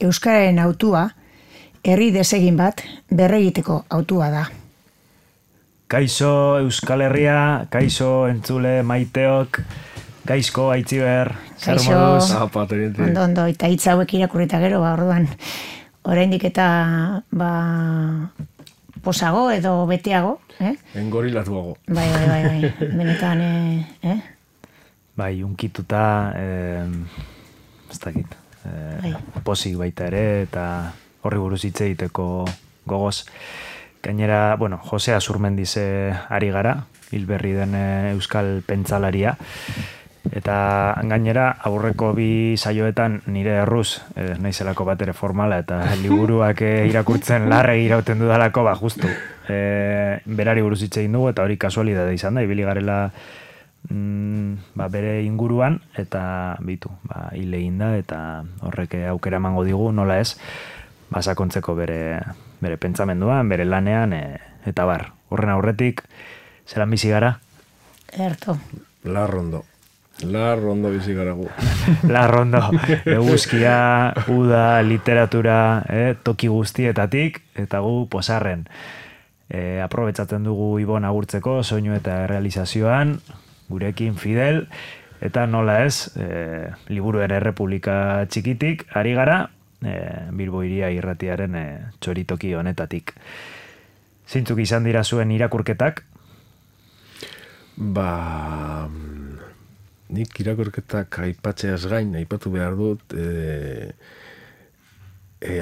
Euskararen autua, herri desegin bat berregiteko autua da. Kaixo Euskal Herria, kaixo entzule maiteok, gaizko Aitziber, zer moduz? Ondo, eta hitz hauek irakurrita gero, orduan, oraindik eta posago edo beteago, Engorilatuago. Bai, benetan, Bai, unkituta, ez dakit, posik baita ere, eta horri buruz hitz egiteko gogoz. Gainera, Jose Azurmendiz ari gara, hilberri den euskal pentsalaria, eta gainera, aurreko bi saioetan nire erruz, naizelako bat ere formala, eta liburuak irakurtzen larre irauten dudalako, justu, berari buruz hitz egin dugu, eta hori kasualidade izan da, ibili garela bere inguruan, eta bitu, hile egin da, eta horrek aukera emango digu, nola ez, sakontzeko bere pentsamenduan, bere lanean, eta bar. Horren aurretik, zelan bizi gara? Erto. Larrondo bizi gara gu. Larrondo. Eguzkia, uda, literatura, toki guztietatik, eta gu posarren. Aprobetzatzen dugu Ibon agurtzeko, soinu eta realizazioan, gurekin Fidel, eta nola ez, Liburuen Errepublika txikitik, ari gara, Bilbo Hiria irratiaren txoritoki honetatik. Zeintzuk izan dira zuen irakurketak? Nik irakurketak aipatzeaz gain, aipatu behar dut,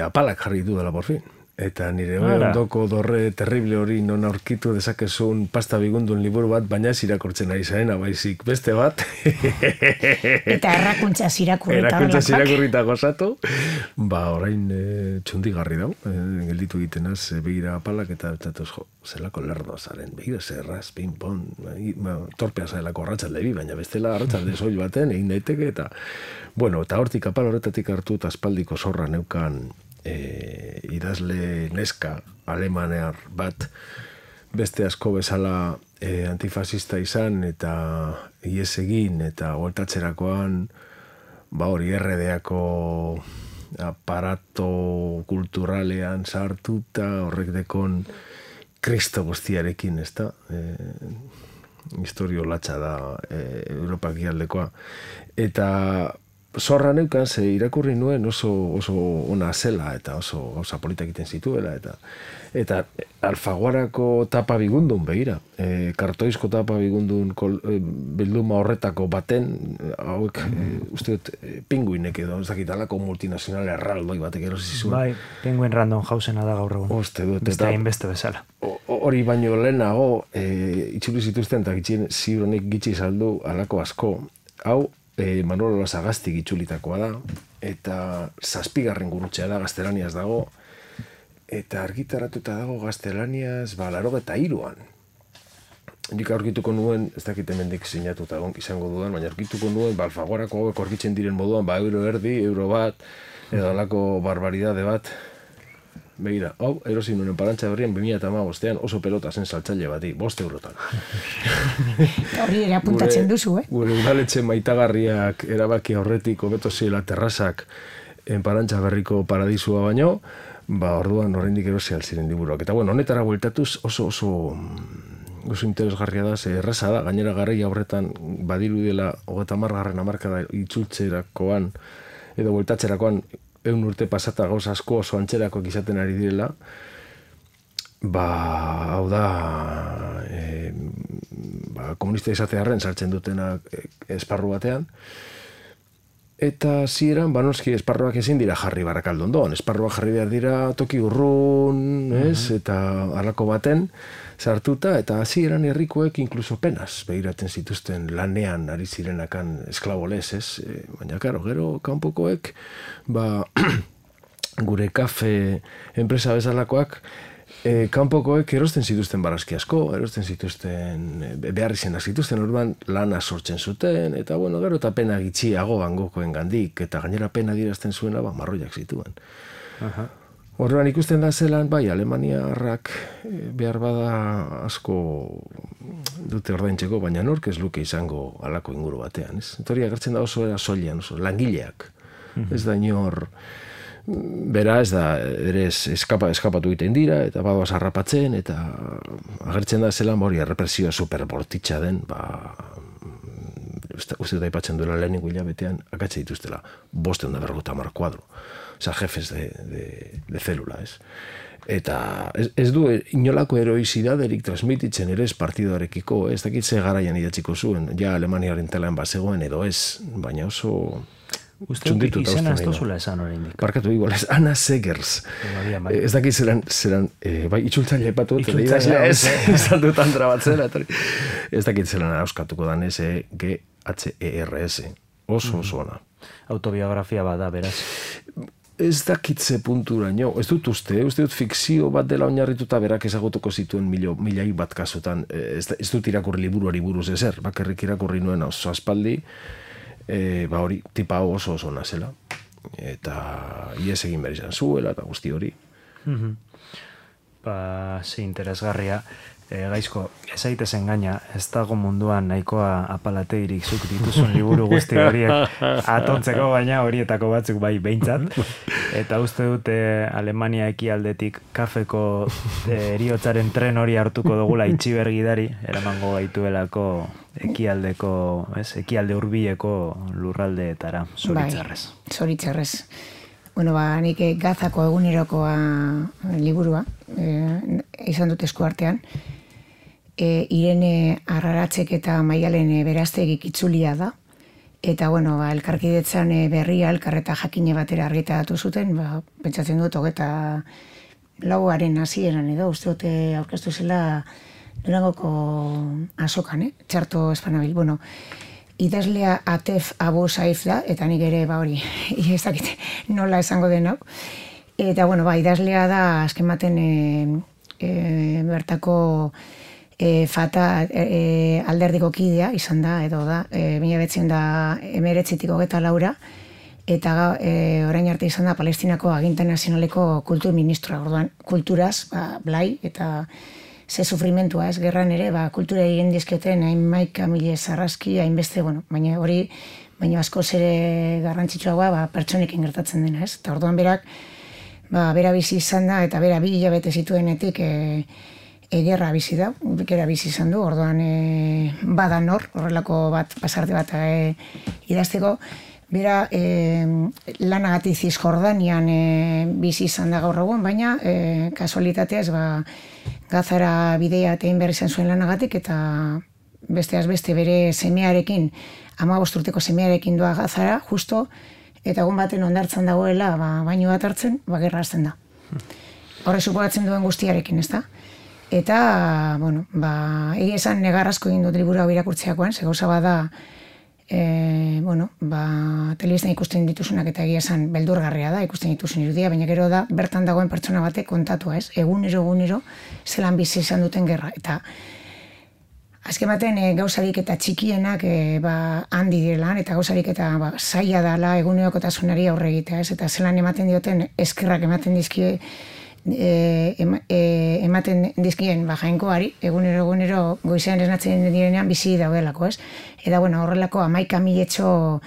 apalak jarri du dela porfin. Eta nire ondoko dorre terrible hori non aurkitu dezakezun pasta bigundun liburu bat, baina ez irakurtzen ari zaena, baizik beste bat. Eta errakuntzaz irakurrita. Errakuntzaz irakurrita gozatu. Orain txundigarri dau, gelditu egitenaz begira apalak eta zelako lerdo zaren, begira zerraz, ping-pong, torpea zaelako arratsalde baina bestela arratsalde soil baten egin daiteke, eta eta hortik apal horretatik hartu eta aspaldiko zorra neukan idazle neska alemanear bat beste asko bezala antifasista izan eta ies egin eta goltatzerakoan hori RDako aparato kulturalean sartuta horrek dekon kristo guztiarekin, ez da? Historio latxa da Europak ialdekoa. Eta zorra neukan, ze irakurri nuen oso ona zela eta oso gauza politak egiten zituela eta Alfaguarako tapa bigundun begira, kartoizko tapa bigundun bilduma horretako baten hauek uste dut pinguinek edo ez dakit alako multinazional erraldoi batek erosi zuen. Bai, Penguin Random Housena da gaur egun. Uste dut. Beste hainbeste bezala. Hori baino lehenago itzuli zituzten eta ziuronik gitxi saldu alako asko. Hau Manolo Lasagaztik itzulitakoa da, eta 7. gurutzea da, gaztelaniaz dago, eta argitaratuta dago gaztelaniaz, 83an. Nik aurkituko nuen, ez dakit hemendik sinatuta izango dudan, baina aurkituko nuen, Alfaguarako hauek aurkitzen diren moduan, euro erdi, euro bat, edo alako barbaridade bat. Begira, hau, erosin nuen Parantxa Berrian 2015an oso pelota zen saltzaile bati, 5 eurotan. Hori ere apuntatzen duzu, Gure udaletxe maitagarriak erabaki horretik hobeto zela terrazak Parantxa Berriko paradisua baino, orduan oraindik erosi altziren liburuak. Eta honetara bueltatuz oso interesgarria da, ze erraza da, gainera garaia horretan badirudela 30. hamarkada itzultzerakoan edo bueltatzerakoan 100 urte pasata gauza asko oso antxerakoak izaten ari direla, hau da, komunista izatearren sartzen dutenak esparru batean, eta zieran, noski esparruak ezin dira jarri Barakaldondon, esparruak jarri behar dira toki urrun, eta halako baten sartuta, eta zieran herrikoek inkluso penaz behiratzen zituzten lanean ari zirenakan esklabolez, baina karo, gero kanpokoek, gure kafe enpresa bezalakoak, kanpokoek erosten zituzten barazki asko, erosten zituzten behar izenak zituzten, orduan lana sortzen zuten, eta gero eta pena gitxiago bangokoen gandik, eta gainera pena dirazten zuena, marroiak zituen. Orduan ikusten da zelan, Alemaniarrak behar bada asko dute ordaintzeko, baina nork ez luke izango halako inguru batean, ez? Hori agertzen da oso era soilean, oso langileak. Ez da inor Bera ez da, ere eskapatu egiten dira, eta badoaz harrapatzen, eta agertzen da zelan hori errepresioa superbortitza den, uste da ipatzen duela lehenengo hilabetean, akatze dituztela, 550 kuadro. Osa, jefes de zelula, ez? Eta ez du inolako heroizidaderik transmititzen ere ez partidoarekiko, ez dakit ze garaian idatziko zuen, ja Alemaniaren telan bazegoen edo ez, baina oso... Uste dut izena ez dozula esan hori indik. Barkatu igual, ez Anna Segers. Ez dakit zelan, bai, itxultzaile epatu, izan dutan trabatzela. Ez dakit zelan auskatuko dan ez, GHERS, oso ona. Autobiografia bada, beraz. Ez dakitze punturaino, ez dut uste dut fikzio bat dela oinarrituta berak ezagutuko zituen milai bat kasutan, ez dut irakurri liburuari buruz ezer, bakarrik irakurri nuen oso aspaldi, hori, tipa oso nazela, eta ies egin behar izan zuela, eta guzti hori. Ze interesgarria, gaizko, ez aitezen gaina, ez dago munduan nahikoa apalateirik zuk dituzun liburu guzti horiek atontzeko, baina horietako batzuk bai behintzat. Eta uste dute Alemania ekialdetik kafeko eriotzaren tren hori hartuko dugula itxibergidari, eramango gaituelako ekialde hurbileko lurraldeetara, zoritzarrez. Bai, zoritzarrez. Bueno, nik Gazako egunerokoa liburua, izan dut esku artean, Irene Arraratzek eta Maialen Beraztegik itzulia da, eta, bueno, elkarkidetzan berria, elkarreta jakine batera argitaratu zuten, pentsatzen dut, 24 hasieran edo, uste dute aurkeztu zela Durangoko azokan, txarto espanabil, bueno, idazlea Atef Abu Saif da, eta nik ere, hori, ez dakit nola esango den hau. Eta, bueno, idazlea da, azken baten bertako Fata alderdiko kidea izan da, edo da, 1989tik 24, eta orain arte izan da Palestinako aginta nazionaleko kultur ministroa, orduan kulturaz, blai, eta ze sufrimentua ez, gerran ere, kultura egin dizketen hain maika mile zarraski, hainbeste, bueno, baina hori, baina askoz ere garrantzitsuagoa pertsonekin gertatzen dena, ez? Eta orduan berak, bera bizi izan da, eta bera 2 hilabete zituenetik gerra bizi da, gerra bizi izan du, orduan bada nor, horrelako pasarte bat idazteko, bera lanagatik Zisjordanian bizi izan da gaur egun, baina kasualitateaz Gazara bidea egin behar izan zuen lanagatik, eta besteaz beste bere semearekin, 15 urteko semearekin doa Gazara, justo, eta egun baten ondartzan dagoela, baino bat hartzen, gerra hasten da. Horre suporatzen duen guztiarekin, ez da? Eta, bueno, egia esan negarrazko egin dut liburu hau irakurtzeakoan, ze gauza bada, telebistan ikusten dituzunak eta egia esan beldurgarria da, ikusten dituzun irudia, baina gero da, bertan dagoen pertsona batek kontatua, ez? Egunero, zelan bizi izan duten gerra. Eta, azken baten gauzarik eta txikienak handi direlan, eta gauzarik eta zaila dala egunerokotasunari aurre egitea, ez? Eta zelan ematen dioten, eskerrak ematen dizkie, ematen dizkien jainkoari, egunero goizean esnatzen direnean bizi daudelako, ez? Eta, bueno, horrelako 11.000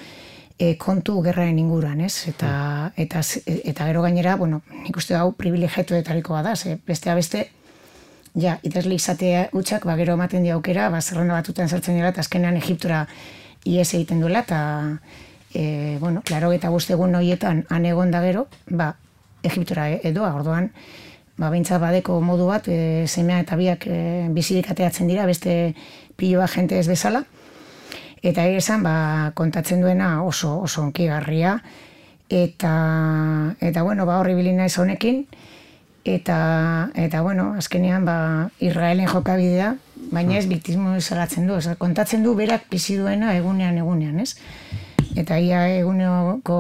kontu gerraren inguruan, ez? Eta gero gainera, bueno, nik uste hau privilegiatuetarikoa da, ze bestea beste, idazle izatea utxak, gero ematen di aukera, zerrenda batutan sartzen dira, eta azkenean Egiptora ihes egiten duela, eta, bueno, 85 egun horietan han egon da gero, Egiptora edoa, orduan, behintzat badeko modu bat, semea eta biak bizirik ateatzen dira, beste piloa jente ez bezala, eta esan, kontatzen duena oso onkigarria, eta bueno, horri bilina ez honekin, eta bueno, azkenean, Israelen jokabidea, baina ez biktismo salatzen du, kontatzen du berak bizi duena egunean, ez? Eta ia eguneko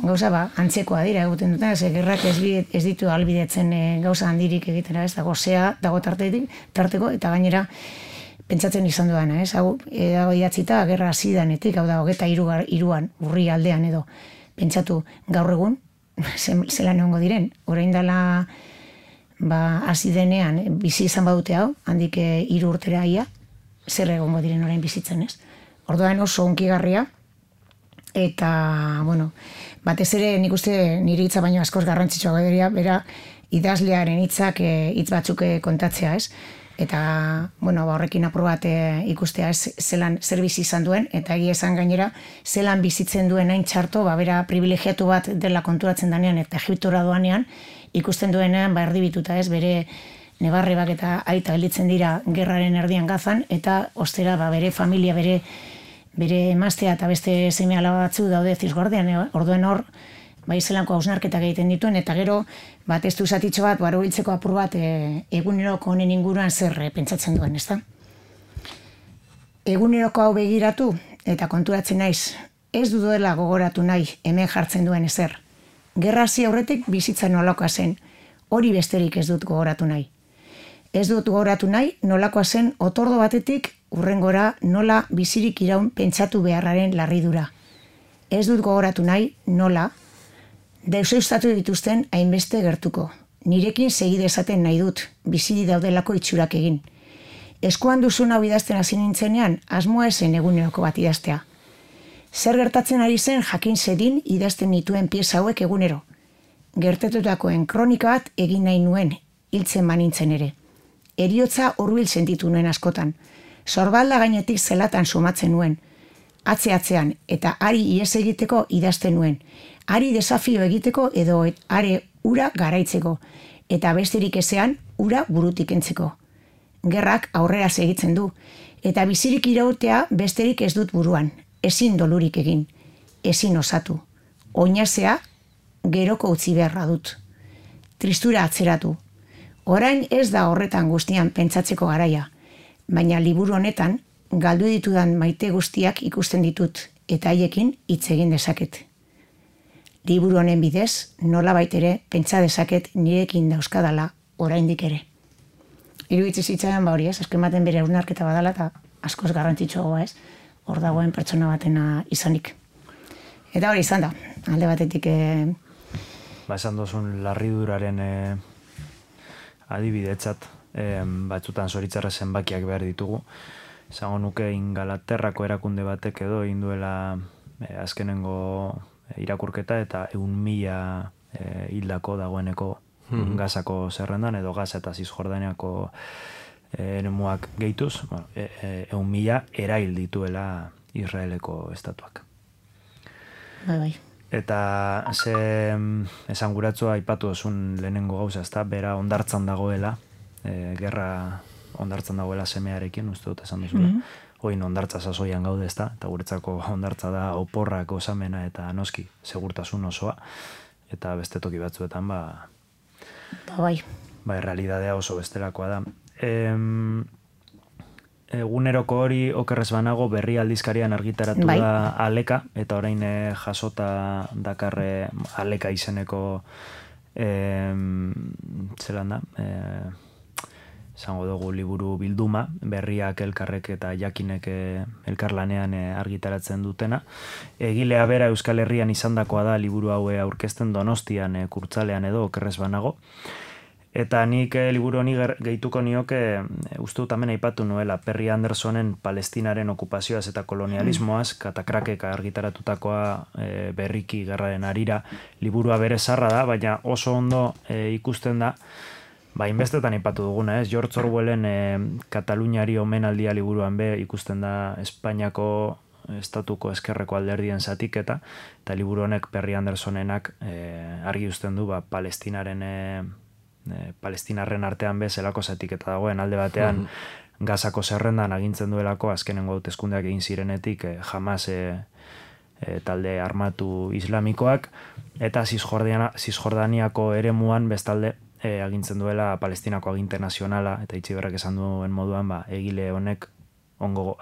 gauza antzekoa dira egiten duten, ze gerrak ez ditu albidetzen gauza handirik egitera, ez dago zea, dago tarteko, eta gainera pentsatzen izan duana, ez? Hau dago idatzita, gerra hasi danetik, hau da, 23an, urri aldean edo, pentsatu gaur egun, zelan egongo diren, orain dela hasi denean, bizi izan badute hau, handik 3 urtera ia, zer egongo diren orain bizitzen, ez? Orduan oso onkigarria, eta, bueno, batez ere nik uste nire hitza baino askoz garrantzitsua dira, bera idazlearen hitzak hitz batzuk kontatzea, ez? Eta, bueno, horrekin apur bat ikustea ez zelan zer bizi izan duen, eta egia esan gainera, zelan bizitzen duen hain txarto, bera privilegiatu bat dela konturatzen danean, eta Egiptora doanean, ikusten duenean, erdibituta ez, bere nebarrebak eta aita gelditzen dira gerraren erdian Gazan, eta ostera, bere familia, bere emaztea eta beste seme alaba batzu daude zizgordean, orduen hor, zelanko hausnarketak egiten dituen, eta gero, testu zatitxo bat, hiltzeko apur bat, eguneroko honen inguruan zer pentsatzen duen, ezta? Eguneroko hau begiratu, eta konturatzen naiz, ez duela gogoratu nahi hemen jartzen duen ezer. Gerra hasi aurretik bizitza nolakoa zen, hori besterik ez dut gogoratu nahi. Ez dut gogoratu nahi, nolakoa zen otordo batetik urrengora nola bizirik iraun pentsatu beharraren larridura. Ez dut gogoratu nahi, nola, deusestatu dituzten hainbeste gertuko. Nirekin segide esaten nahi dut, biziri daudelako itxurak egin. Eskuan duzun hau idazten hasi nintzenean, asmoa esen eguneroko bat idaztea. Zer gertatzen ari zen jakin zedin idazten nituen pieza hauek egunero. Gertatutakoen kronika bat egin nahi nuen, hiltzen manintzen ere. Heriotza hurbil sentitu nuen askotan. Sorbalda gainetik zelatan sumatzen nuen. Atze-atzean eta ari ihes egiteko idazten nuen. Ari desafio egiteko edo are ura garaitzeko. Eta besterik ezean ura burutik entzeko. Gerrak aurrera segitzen du. Eta bizirik irautea besterik ez dut buruan. Ezin dolurik egin. Ezin osatu. Oinazea geroko utzi beharra dut. Tristura atzeratu. Orain ez da horretan guztian pentsatzeko garaia. Baina liburu honetan, galdu ditudan maite guztiak ikusten ditut, eta haiekin hitz egin dezaket. Liburu honen bidez, nola baitere, pentsa dezaket nirekin dauzkadala oraindik ere. Iruditzi zitzaidan hori ez, azken baten bere hausnarketa badala, eta askoz garrantzitsuagoa ez, hor dagoen pertsona batena izanik. Eta hori izan da, alde batetik... Esan dozun larriduraren adibidetzat, batzutan zoritzarra zenbakiak behar ditugu. Zango nuke Ingalaterrako erakunde batek edo induela azkenengo irakurketa eta 1.000 hildako dagoeneko Gazako zerrendan edo Gaza eta Zizjordaniako eremuak gehituz, 1.000 erail dituela Israeleko estatuak. Bai. Eta ze esanguratzua aipatu duzun lehenengo gauza, ezta, bera ondartzan dagoela, gerra ondartzan dagoela semearekin, uste dut esan duzula. Oin ondartza sasoian gaude, ezta, eta guretzako ondartza da oporrak osamena eta noski, segurtasun osoa, eta beste toki batzuetan, bai, realidadea oso bestelakoa da. Eguneroko hori okerrez banago berri aldizkarian argitaratu da Aleka, eta orain jasota dakarre Aleka izeneko zelan da, zango dugu liburu bilduma, berriak elkarrek eta jakinek elkarlanean argitaratzen dutena. Egilea bera Euskal Herrian izandakoa da liburu haue aurkezten Donostian kurtzalean edo okerrez banago. Eta nik liburu honi gehituko nioke, uste dut hemen aipatu nuela, Perry Andersonen Palestinaren okupazioaz eta kolonialismoaz, Katakrakek argitaratutakoa berriki gerraren harira, liburua bere zarra da, baina oso ondo ikusten da, inbestetan aipatu duguna, ez? George Orwellen Kataluniari omenaldia liburuan ikusten da Espainiako estatuko eskerreko alderdien zatiketa, eta liburu honek Perry Andersonenak argi uzten du Palestinarren artean zelako zatiketa dagoen alde batean Gazako zerrendan agintzen duelako azkenengo hauteskundeak egin zirenetik Hamas talde armatu islamikoak eta Zizjordaniako eremuan bestalde agintzen duela Palestinako aginte nazionala eta Itziberrak esan duen moduan egile honek hango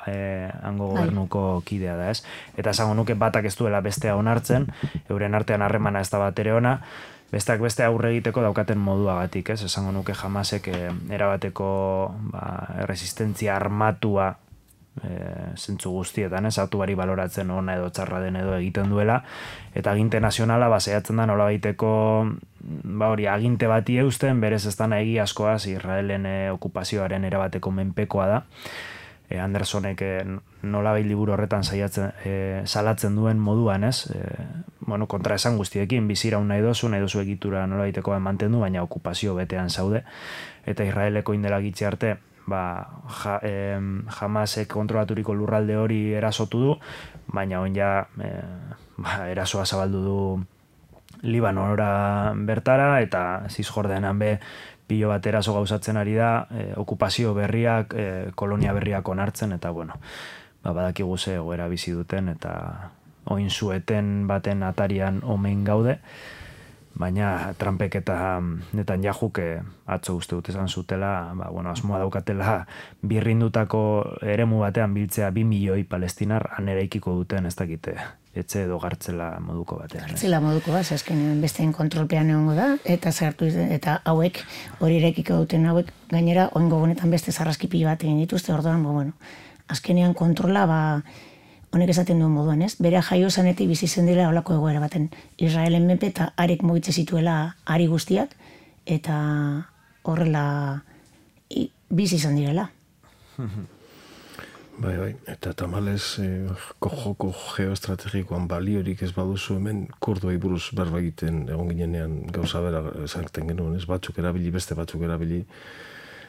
gobernuko kidea da, ez? Eta esango nuke batak ez duela bestea onartzen, euren artean harremana ez da bat ere ona, besteak beste aurre egiteko daukaten moduagatik, ez? Esango nuke Hamasek erabateko resistentzia armatua zentzu guztietan, ez? Autoari baloratzen ona edo txarra den edo egiten duela, eta aginte nazionala zehatzen da nola baiteko hori aginte bati eusten, berez ez dana egiazkoaz Israelen okupazioaren erabateko menpekoa da. Andersonek nolabait liburu horretan salatzen duen moduan, ez? Bueno, kontra esan guztiekin, biziraun nahi dozu egitura nolabaiteko mantendu, baina okupazio betean zaude. Eta Israeleko indela gitxe arte, Hamasek kontrolaturiko lurralde hori erasotu du, baina on ja erasoa zabaldu du Libanora bertara, eta Zizjordenan be pilo bat eraso gauzatzen ari da, okupazio berriak, kolonia berriak onartzen, eta bueno, badakigu ze egoera bizi duten, eta oin zueten baten atarian omen gaude, baina Trumpek eta Netanyahu atzo uste dut esan zutela, asmoa daukatela birrindutako eremu batean biltzea 2 milioi palestinar han eraikiko duten, ez dakite, etxe edo gartzela moduko batean. Gartzela moduko bat, azkenean besteen kontrolpean egongo da, eta zartu eta hauek, hori eraikiko duten hauek, gainera, oingo honetan beste zarraskipilo bat egin dituzte, orduan, azkenean kontrola, honek esaten duen moduan, ez? Bere jaio zanetik bizi zen dira holako egoera baten. Israelen menpe eta arek mugitze zituela ari guztiak, eta horrela bizi izan direla. Bai, eta tamalez joko geoestrategikoan baliorik ez baduzu hemen kurduei buruz berba egiten egon ginenean gauza bera esaten genuen, ez? Batzuk erabili, beste batzuk erabili,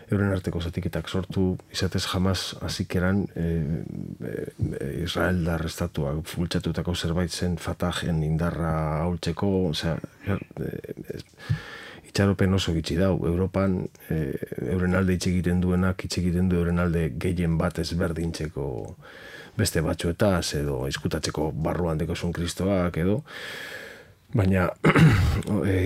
euren arteko zatiketak sortu, izatez jamaz azikeran Israeldar estatuak bultzatutako zerbait zen Fatahen indarra haultzeko, itxaropen oso gitxi dau. Europan euren alde itxegiten duenak, itxegiten du euren alde gehien bat ezberdintzeko beste batzuetaz, edo izkutatzeko barruan dekozun kristoak, edo. Baina,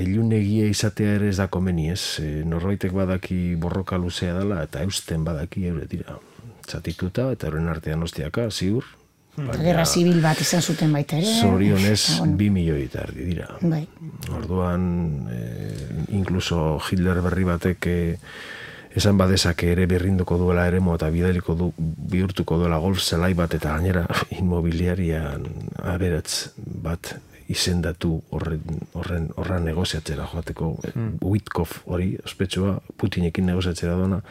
ilunegia izatea ere ez da komeni, ez? Norbaitek badaki borroka luzea dela, eta eusten badaki eure dira. Txatituta, eta euren artean ostiaka, ziur. Gerra zibil bat izan zuten baita ere. Zorionez 2 milioi eta erdi dira. Bai. Orduan, inkluso Hitler berri batek esan badezake ere berrinduko duela eremo eta bihurtuko duela golf zelai bat eta gainera inmobiliarian aberatz bat izendatu horren negoziatzera joateko Witkoff hori, ospetsua, Putinekin negoziatzera dona,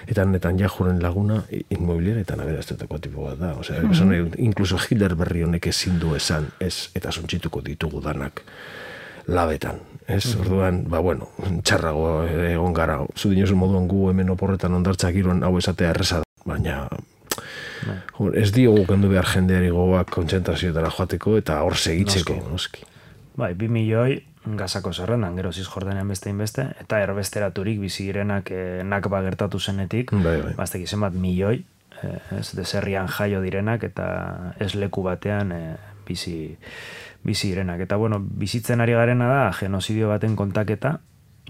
eta Netanyahuren laguna inmobiliaretan aberaztetako tipo bat da. Osea, inkluso Hitler berri honek ezin du esan, ez, eta suntsituko ditugu danak labetan. Ez, orduan, txarrago egon gara. Zu dinosun moduan gu hemen oporretan ondartzak giroan hau esatea erreza da, baina ez diogu kendu behar jendeari gogoak kontzentrazioetara joateko eta hor segitzeko. Bai, 2 milioi Gazako zerrendan, gero Zizjordenean beste inbeste, eta erbesteraturik bizi girenak nakba gertatu zenetik, baztek izen bat milioi, deserrian jaio direnak, eta ez leku batean bizi direnak. Eta bizitzen ari garena da genozidio baten kontaketa,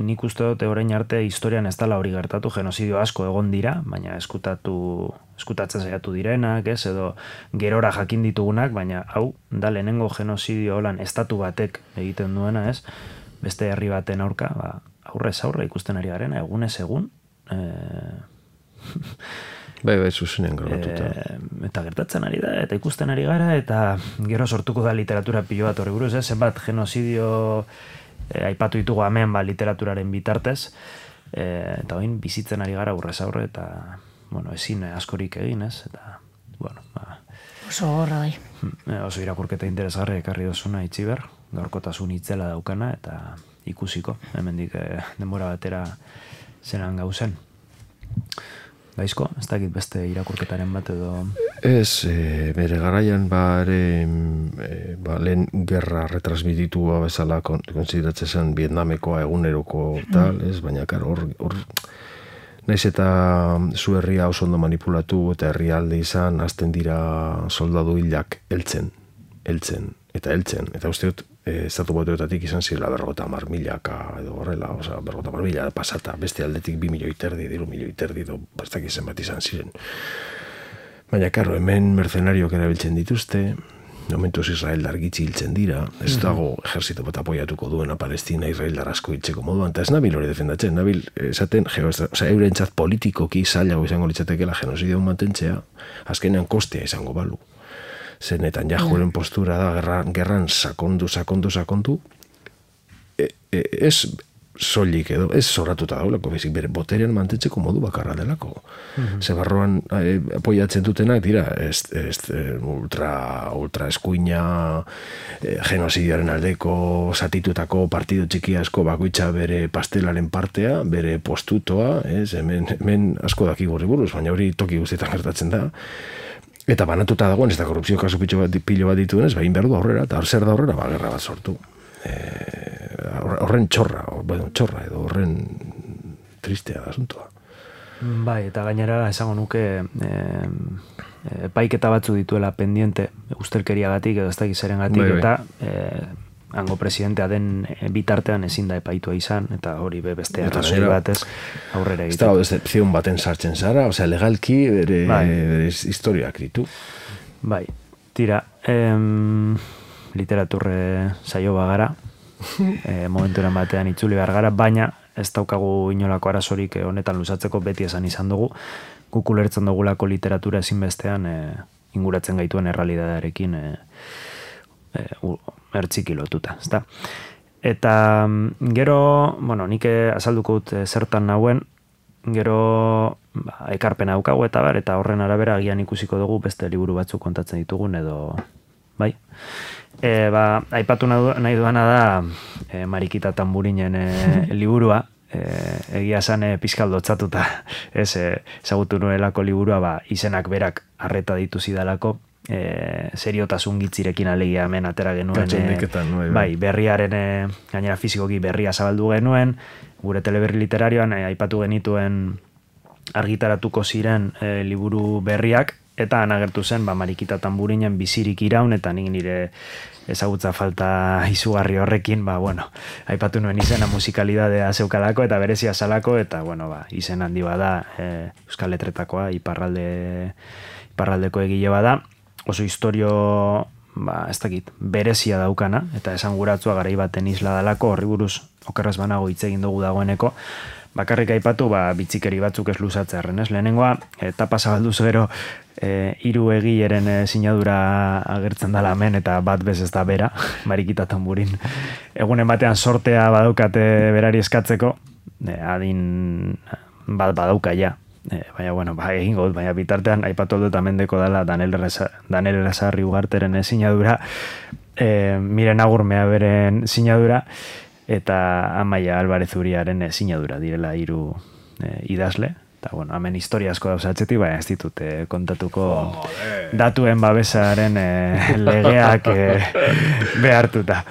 nik uste dut orain arte historian ez dela hori gertatu, genozidio asko egon dira, baina eskutatzen saiatu direnak, ez, edo gerora jakin ditugunak, baina hau da lehenengo genozidio holan estatu batek egiten duena, ez, beste herri baten aurka, aurrez aurre ikusten ari garena, egunez egun, Bai, zuzenean grabatuta. Eta gertatzen ari da, eta ikusten ari gara, eta gero sortuko da literatura pilo bat horri buruz, zenbat genozidio aipatu ditugu hemen literaturaren bitartez, eta oin bizitzen ari gara aurrez aurre, eta ezin askorik egin, ez, eta, oso horra, bai. Oso irakurketa interesgarri ekarri dozuna Itziber, gaurkotasun itzela daukana, eta ikusiko, hemendik denbora batera zenan gauzen. Gaizko, ez dakit beste irakurketaren bat edo... Ez, bere garaian lehen gerra retransmititu bezala konsideratzen zen Vietnamekoa eguneroko tal, ez, baina hor naiz eta zu herria oso ondo manipulatu eta herrialde izan, hasten dira soldadu hilak heltzen, eta uste dut estatu batuetatik izan zirela 50.000 edo horrela, 50.000 pasata, beste aldetik 2 milioi terdi, 3 milioi terdi, bastak izan bat izan ziren. Baina, karo, hemen mercenariok erabiltzen dituzte, momentuz Israeldar gitxi hiltzen dira, ez dago ejerzito bat apoiatuko duena Palestina Israeldar asko hiltzeko moduan, eta ez nabil hori defendatzen, nabil esaten, eurentzat politikoki zailago izango litzatekela genozidio mantentzea, azkenean kostea izango balu. Zer Netanyahuren postura da gerran sakondu, ez soilik edo, ez zorratuta daulako, bezik bere boterean mantentzeko modu bakarra delako. Ze barruan apoiatzen dutenak dira, ultra eskuina, genozidioaren aldeko zatitutako partidu txiki asko bakoitza bere pastelaren partea, bere postutoa, hemen asko daki gorri buruz, baina hori toki guztietan gertatzen da. Eta banatuta dagoen, ez da korrupzio kasu pilo bat dituenez, egin behar du aurrera, eta zer da aurrera, gerra bat sortu. Horren txorra edo horren tristea da asuntoa. Bai, eta gainera esango nuke epaiketa batzu dituela pendiente ustelkeriagatik edo ez dakiz erengatik, eta hango presidentea den bitartean ezin da epaitua izan, eta hori beste arrazoi batez aurrera egiten. Ez da, decepzion baten sartzen zara, osea, legalki bere historiak ditu. Bai, tira, literaturre saio bagara, momenturen batean itzuli behar gara, baina ez daukagu inolako arazorik honetan luzatzeko, beti esan izan dugu, guk ulertzen dugulako literatura ezinbestean inguratzen gaituen errealitatearekin ertziki lotuta, ezta? Eta gero, bueno, nik azalduko dut zertan nauen, gero ekarpena daukagu eta horren arabera agian ikusiko dugu beste liburu batzuk kontatzen ditugun edo, bai? Aipatu nahi duana da Marikita Tamburinen liburua, egia esan pizkal dotzatuta, ezagutu nuelako liburua, izenak berak arreta ditu zidalako, seriotasun gitzirekin alegia hemen atera genuen, bai, berriaren, gainera fizikoki berria zabaldu genuen, gure teleberri literarioan aipatu genituen argitaratuko ziren liburu berriak, eta anagertu zen Marikita Tamburinen bizirik iraun, eta nik nire ezagutza falta izugarri horrekin, aipatu nuen izena musikalidadea zeukalako eta berezia salako, eta izen handi bada Euskal Letretakoa, iparraldeko egile bada, oso historio, ez dakit, berezia daukana, eta esanguratzua garai baten isla dalako, horri buruz okerraz banago hitz egin dugu dagoeneko, bakarrik aipatu bitzikeri batzuk ez luzatzearren, ez? Lehenengoa, etapa zabalduz gero, hiru egileren sinadura agertzen dela hemen, eta bat bez ez da bera, Marikita Tamburin. Egunen batean sortea badaukate berari eskatzeko, adin bat badauka ja. Baina, egingo dut, baina bitartean aipatu dut amendeko dela Daniel Errezarri Ugarteren sinadura, Miren Agurmea beren sinadura, eta Amaia Alvarez Uriaren sinadura direla hiru idazle. Eta, hemen historia asko dauzatzetik, baina ez ditut kontatuko datuen babesaren legeak behartuta.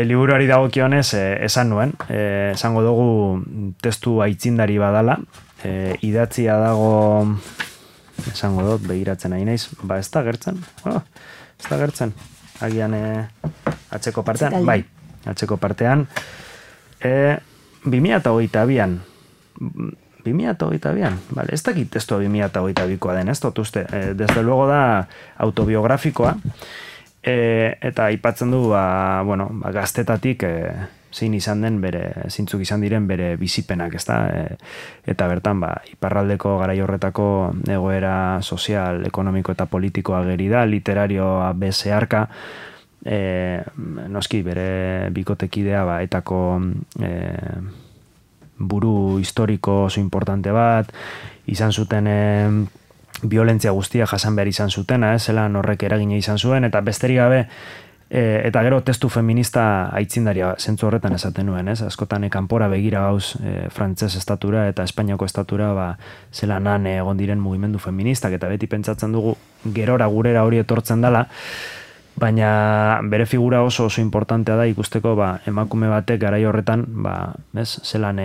Liburuari dagokionez esan nuen, esango dugu testu aitzindari badala, idatzia dago, esango dut, begiratzen ari naiz, ez da gertzen, agian atzeko partean, bai, atzeko partean, 2022an, 2022an, vale, ez dakit testua 2022koa den, ez dut uste, desde luego da autobiografikoa, eta aipatzen du, gaztetatik zein izan den zeintzuk izan diren bere bizipenak, ezta? Eta bertan, iparraldeko garai horretako egoera sozial, ekonomiko eta politikoa ageri da, literarioa bezeharka, noski bere bikotekidea etako buru historiko oso importante bat, izan zuten violentzia guztia jasan behar izan zutena, zelan horrek eragina izan zuen, eta besterik gabe, eta gero testu feminista aitzindaria zentzu horretan esaten nuen, askotan kanpora begira gauz frantses estatura eta Espainiako estatura zelan han egon diren mugimendu feministak, eta beti pentsatzen dugu gerora gurera hori etortzen dela, baina bere figura oso importantea da ikusteko emakume batek garai horretan zelan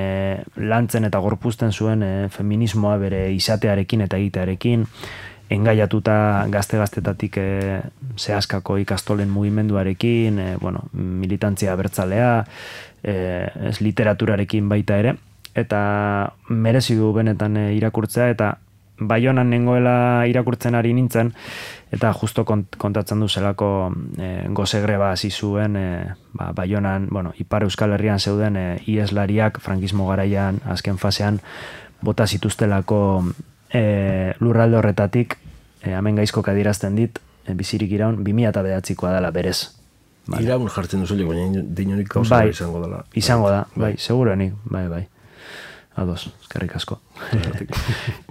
lantzen eta gorpuzten zuen feminismoa bere izatearekin eta egitearekin, engaiatuta gazte-gaztetatik zehaskako ikastolen mugimenduarekin, militantzia abertzalea, literaturarekin baita ere, eta merezi du benetan irakurtzea, eta Baionan nengoela irakurtzen ari nintzen, eta justo kontatzen du zelako goze greba hasi zuen, Baionan, Ipar Euskal Herrian zeuden ieslariak frankismo garaian, azken fasean, bota zituztelako lurralde horretatik, hemen gaizko adierazten dit, bizirik iraun, 2009koa dela berez. Iraun jartzen duzulik, baina dinonik gauza izango dela. Izango da, bai, segurenik, bai. Ados, eskerrik asko.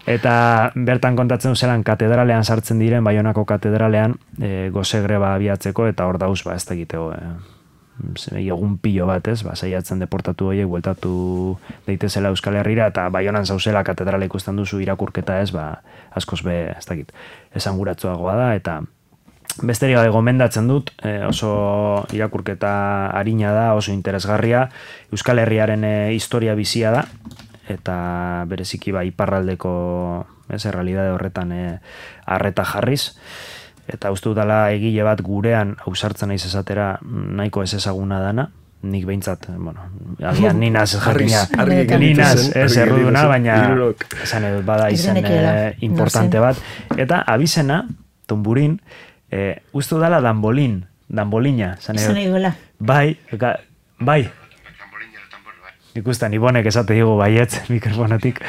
Eta bertan kontatzen duzelan katedralean sartzen diren, Baionako katedralean, goze greba abiatzeko, eta hor dauz, ez da egiteko, egun pilo bat, saiatzen deportatu horiek, bueltatu daitezela Euskal Herrira, eta Baionan zauzela katedrale ikusten duzu irakurketa askoz ez da egit, esanguratsuagoa da, eta besterik gabe gomendatzen dut, oso irakurketa arina da, oso interesgarria, Euskal Herriaren historia bizia da, eta bereziki iparraldeko errealidade horretan arreta jarriz, eta uste dutala egile bat gurean ausartzen naiz esatera nahiko ez ezaguna dana, nik behintzat, agian ninaz ez erruduna, baina esan edut bada izen importante bat, eta abizena, Tonburin, uste dala danbolina. Izan eguela. Bai. Ikustan, Ibonek esate digu baietz mikrofonetik.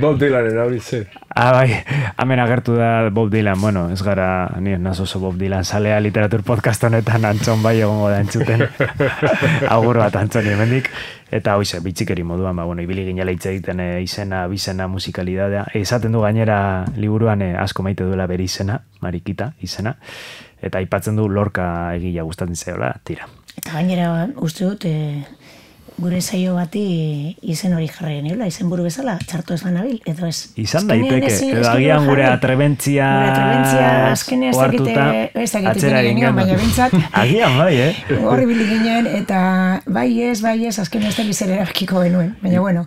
Bob Dylanen hori zen. Bai, hemen agertu da Bob Dylan, ez gara, nien nazo oso Bob Dylan salea literatur podcast honetan Antxon bai egongo da entzuten. Agur bat Antxoni hemendik. Eta hoize, bitxikeri moduan, ibili ginela hitz egiten izena, bizena, musikalidadea. Esaten du gainera liburuan asko maite duela bere izena, Marikita izena. Eta aipatzen du Lorca egila gustatzen zaiola, tira. Eta gainera uste dut, gure saio bati izen hori jarri geniola, izen buru bezala, txarto ez banabil, edo ez. Izan daiteke, edo agian gure atrebentzia oartuta atzera egin baina bintzat. Agian bai, Horri bili ginen, eta bai ez, azken ez da bizera erabakiko genuen. Baina bueno,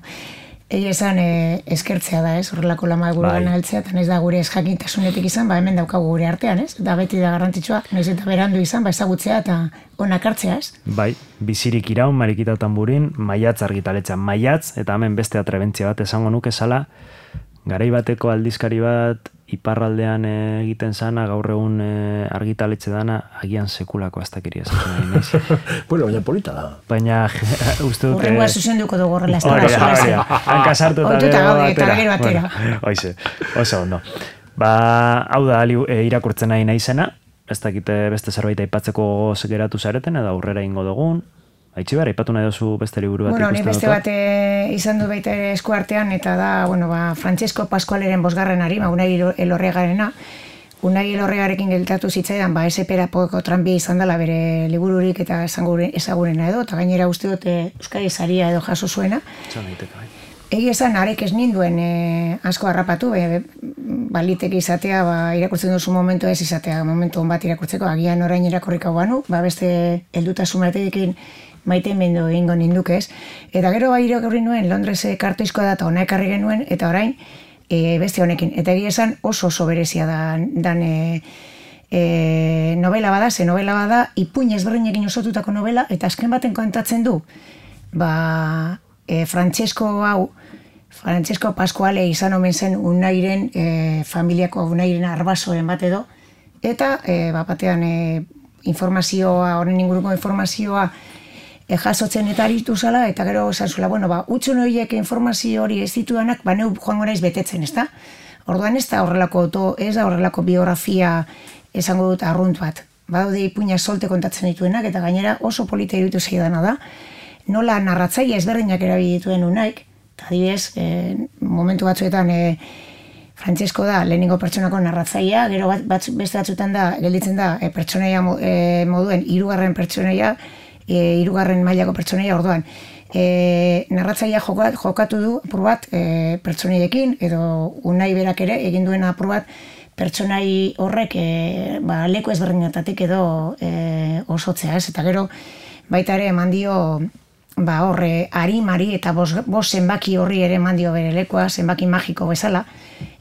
egia esan eskertzea da, horrelako lama gure gana heltzea, eta naiz da gure ez jakintasunetik izan, hemen daukagu gure artean, da beti da garrantzitsua, naiz eta berandu izan, ezagutzea eta onak hartzea, ez? Bai, bizirik iraun, Marikita Tamburin, Maiatz argitaletxa, Maiatz, eta hemen beste atrebentzia bat esango nuke zala, garai bateko aldizkari bat iparraldean egiten zana, gaur egun argitaletxe dana, agian sekulako aztakeria esaten nahi naiz. Bueno, baina polita da. Baina, uste dute... Horrengoa zuzenduko dugu horrela, ez da. Hanka sartu eta gero atera. Hoize, oso ondo. Hau da, irakurtzen nahi naizena, ez dakite beste zerbait aipatzeko geratu zareten, edo aurrera ingo dugun. Aitziber, aipatu nahi dozu beste liburu bat ikusten dut? Beste bat izan du baita esku artean, eta da, Francesco Pascualeren 5. arima, Unai Elorriagarena. Unai Elorriagarekin geltatu zitzaidan, SP-erapoko tranbia izan dela bere libururik eta ezagurena edo, eta gainera uste dut Euskadi saria edo jaso zuena. Egi esan, arek ez ninduen asko harrapatu, baliteke izatea, irakurtzen duzu momentu ez izatea, momentu on bat irakurtzeko, agian orain irakurriko banu, beste heldutasun batekin maite mendu egingo ninduke ez. Eta gero irakurri nuen, Londres kartoizkoa da eta hona ekarri genuen, eta orain beste honekin. Eta egia esan oso berezia dan novela bada, ipuin ezberdinekin osotutako novela, eta azken baten kontatzen du, Francesco Pascuale izan omen zen Unairen familiako Unairen arbasoren bat edo, eta batean informazioa, horren inguruko informazioa jasotzen eta aritu zala, eta gero esan zula, utxun horiek informazio hori ez ditudanak, neu joango naiz betetzen, ez da? Orduan ez da horrelako biografia esango dut arrunt bat. Badaude ipuina solte kontatzen dituenak, eta gainera oso polita iruditu zaidana da, nola narratzaile ezberdinak erabili dituen Unaik, eta adibidez, momentu batzuetan Francesco da lehenengo pertsonako narratzailea, gero beste batzuetan da, gelditzen da, pertsonaia moduen, 3. pertsonaia, 3. mailako pertsonaia orduan. Narratzailea jokatu du apur bat pertsonaiekin, edo Unai berak ere egin duen apur bat pertsonai horrek leku ezberdinetatik edo osotzea, ez? Eta gero baita ere eman dio horre arimari eta bost zenbaki horri ere eman dio bere lekua, zenbaki magiko bezala.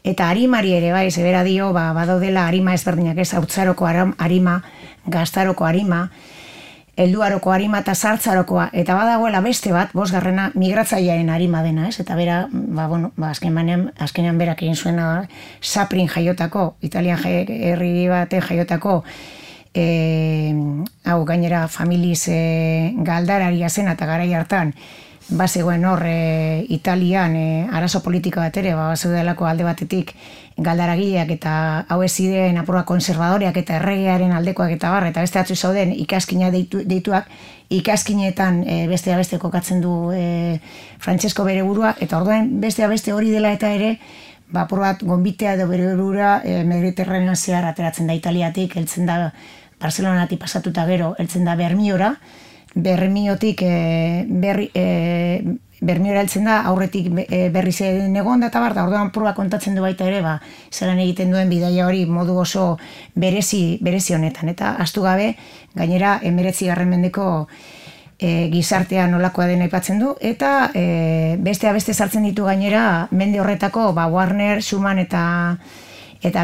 Eta arimari ere bai, zebera dio, badaudela arima ezberdinak ez, hautzaroko arima, gaztaroko arima, helduaroko arima eta sartzarokoa, eta badagoela beste bat, 5. migratzailearen arima dena, ez? Eta bera, azkenean berak egin zuena Saprin jaiotako, Italian herri baten jaiotako, hau gainera familiz galdararia zen eta garai hartan bazegoen hor Italian arazo politika bat ere, bazeudelako alde batetik galdaragileak eta hau ez ziren apurua konservadoreak eta erregearen aldekoak eta bar, eta beste atzu zauden ikaskina deituak, ikaskinetan bestea beste kokatzen du Francesco bere burua, eta orduan bestea beste hori dela eta ere, apur bat gonbitea edo bere burura Mediterranean zehar ateratzen da Italiatik, heltzen da Barcelonatik pasatuta gero, heltzen da Bermiora, Bermiotik Bermiora heltzen da, aurretik berri zen egon da, eta bar, da orduan purba kontatzen du baita ere, zelan egiten duen bidaia hori modu oso berezi honetan, eta astu gabe, gainera 19. mendeko gizartea nolakoa den aipatzen du, eta bestea beste sartzen ditu gainera, mende horretako, Warner, Schumann eta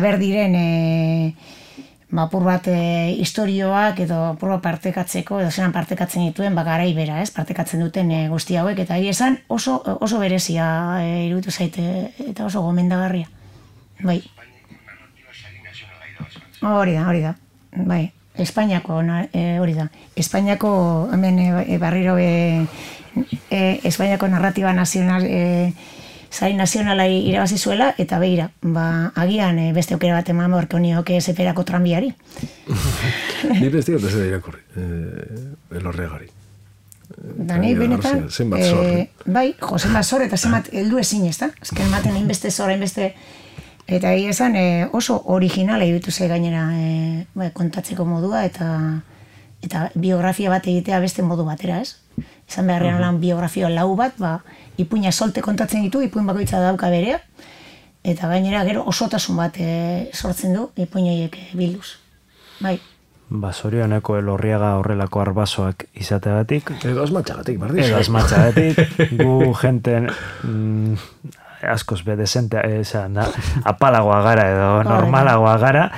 berdiren apur bat historioak edo apur bat partekatzeko, edo zelan partekatzen dituen, garai bera, partekatzen duten guzti hauek, eta esan oso berezia iruditu zaite, eta oso gomendagarria. Bai. Hori da. Bai. Espainiako hori da. Espainiako, hemen barriro Espainiako narratiba nazional Sari nazionalai irabazi zuela, eta behira, agian beste aukera bat eman borko nioke zeperako tranbiari. Ni beste gota zera irakurri, elorregari. Dani, benetan, bai, zenbat zor, eta zenbat heldu ezin, ez da? Ezken ematen inbeste zora, inbeste... Eta esan oso originala iruditu ze gainera kontatzeko modua, eta biografia bat egitea beste modu batera, ez? Izan beharrean lan biografia lau bat, ipuina solte kontatzen ditu, ipuin bakoitza dauka berea, eta gainera gero osotasun bat sortzen du ipuinoiek bilduz. Bai. Zorioneko Elorriaga horrelako arbasoak izateagatik. Edo asmatxagatik, bardiz. Edo asmatxagatik. Gu jenten askoz bedezente, apalagoa gara edo normalagoa gara.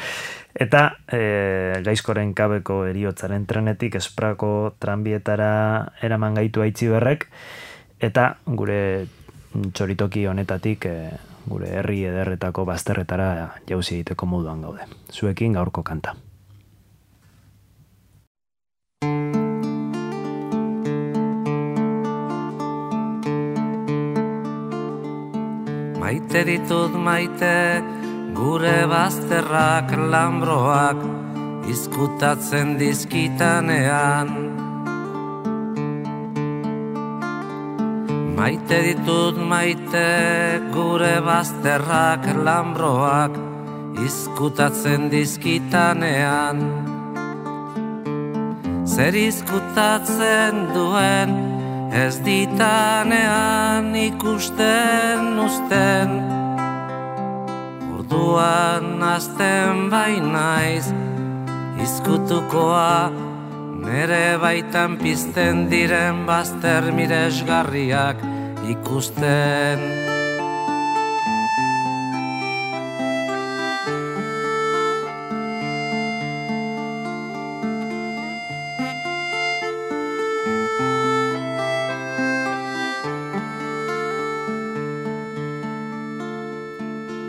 Eta Gaizkoren kabeko eriotzaren trenetik Esprako tranbietara eraman gaitu aitzi berrek, eta gure txoritoki honetatik gure herri ederretako bazterretara jauzi egiteko moduan gaude. Zuekin gaurko kanta. Maite ditut maite, gure bazterrak lambroak izkutatzen dizkitanean. Maite ditut maite, gure bazterrak lambroak izkutatzen dizkitanean. Zer izkutatzen duen, ez ditanean ikusten uzten. Orduan azten bainaiz, izkutukoa, nere baitan pizten diren bazter miresgarriak ikusten.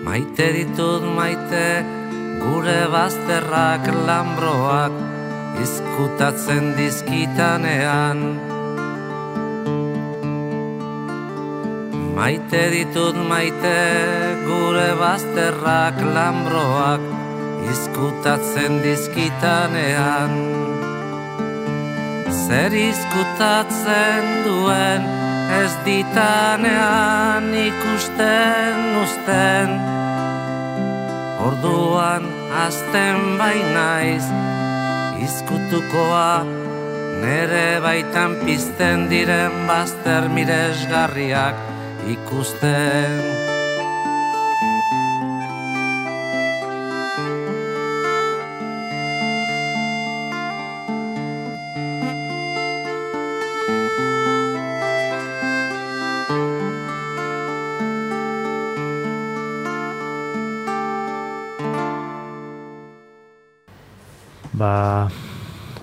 Maite ditut maite, gure bazterrak lambroak izkutatzen dizkitanean. Maite ditut maite, gure bazterrak lambroak izkutatzen dizkitanean. Zer izkutatzen duen, ez ditanean ikusten uzten. Orduan azten bainaiz, izkutukoa, nere baitan pizten diren bazter miresgarriak ikusten.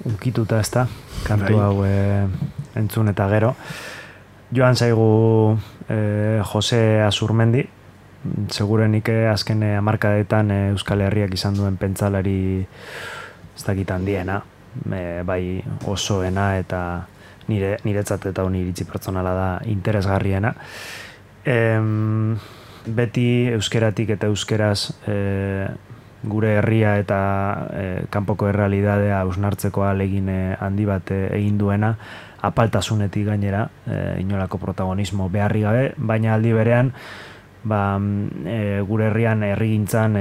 Ukituta ez da, kantu hau entzun eta gero. Joan zaigu Jose Azurmendi, segurenik azken hamarkadetan Euskal Herriak izan duen pentsalari ez dakit handiena, bai osoena eta niretzat eta honi iritzi pertsonala da interesgarriena. Beti euskeratik eta euskeraz gure herria eta kanpoko errealidadea hausnartzeko ahalegin handi bat egin duena, apaltasunetik gainera, inolako protagonismo beharri gabe, baina aldi berean, gure herrian herrigintzan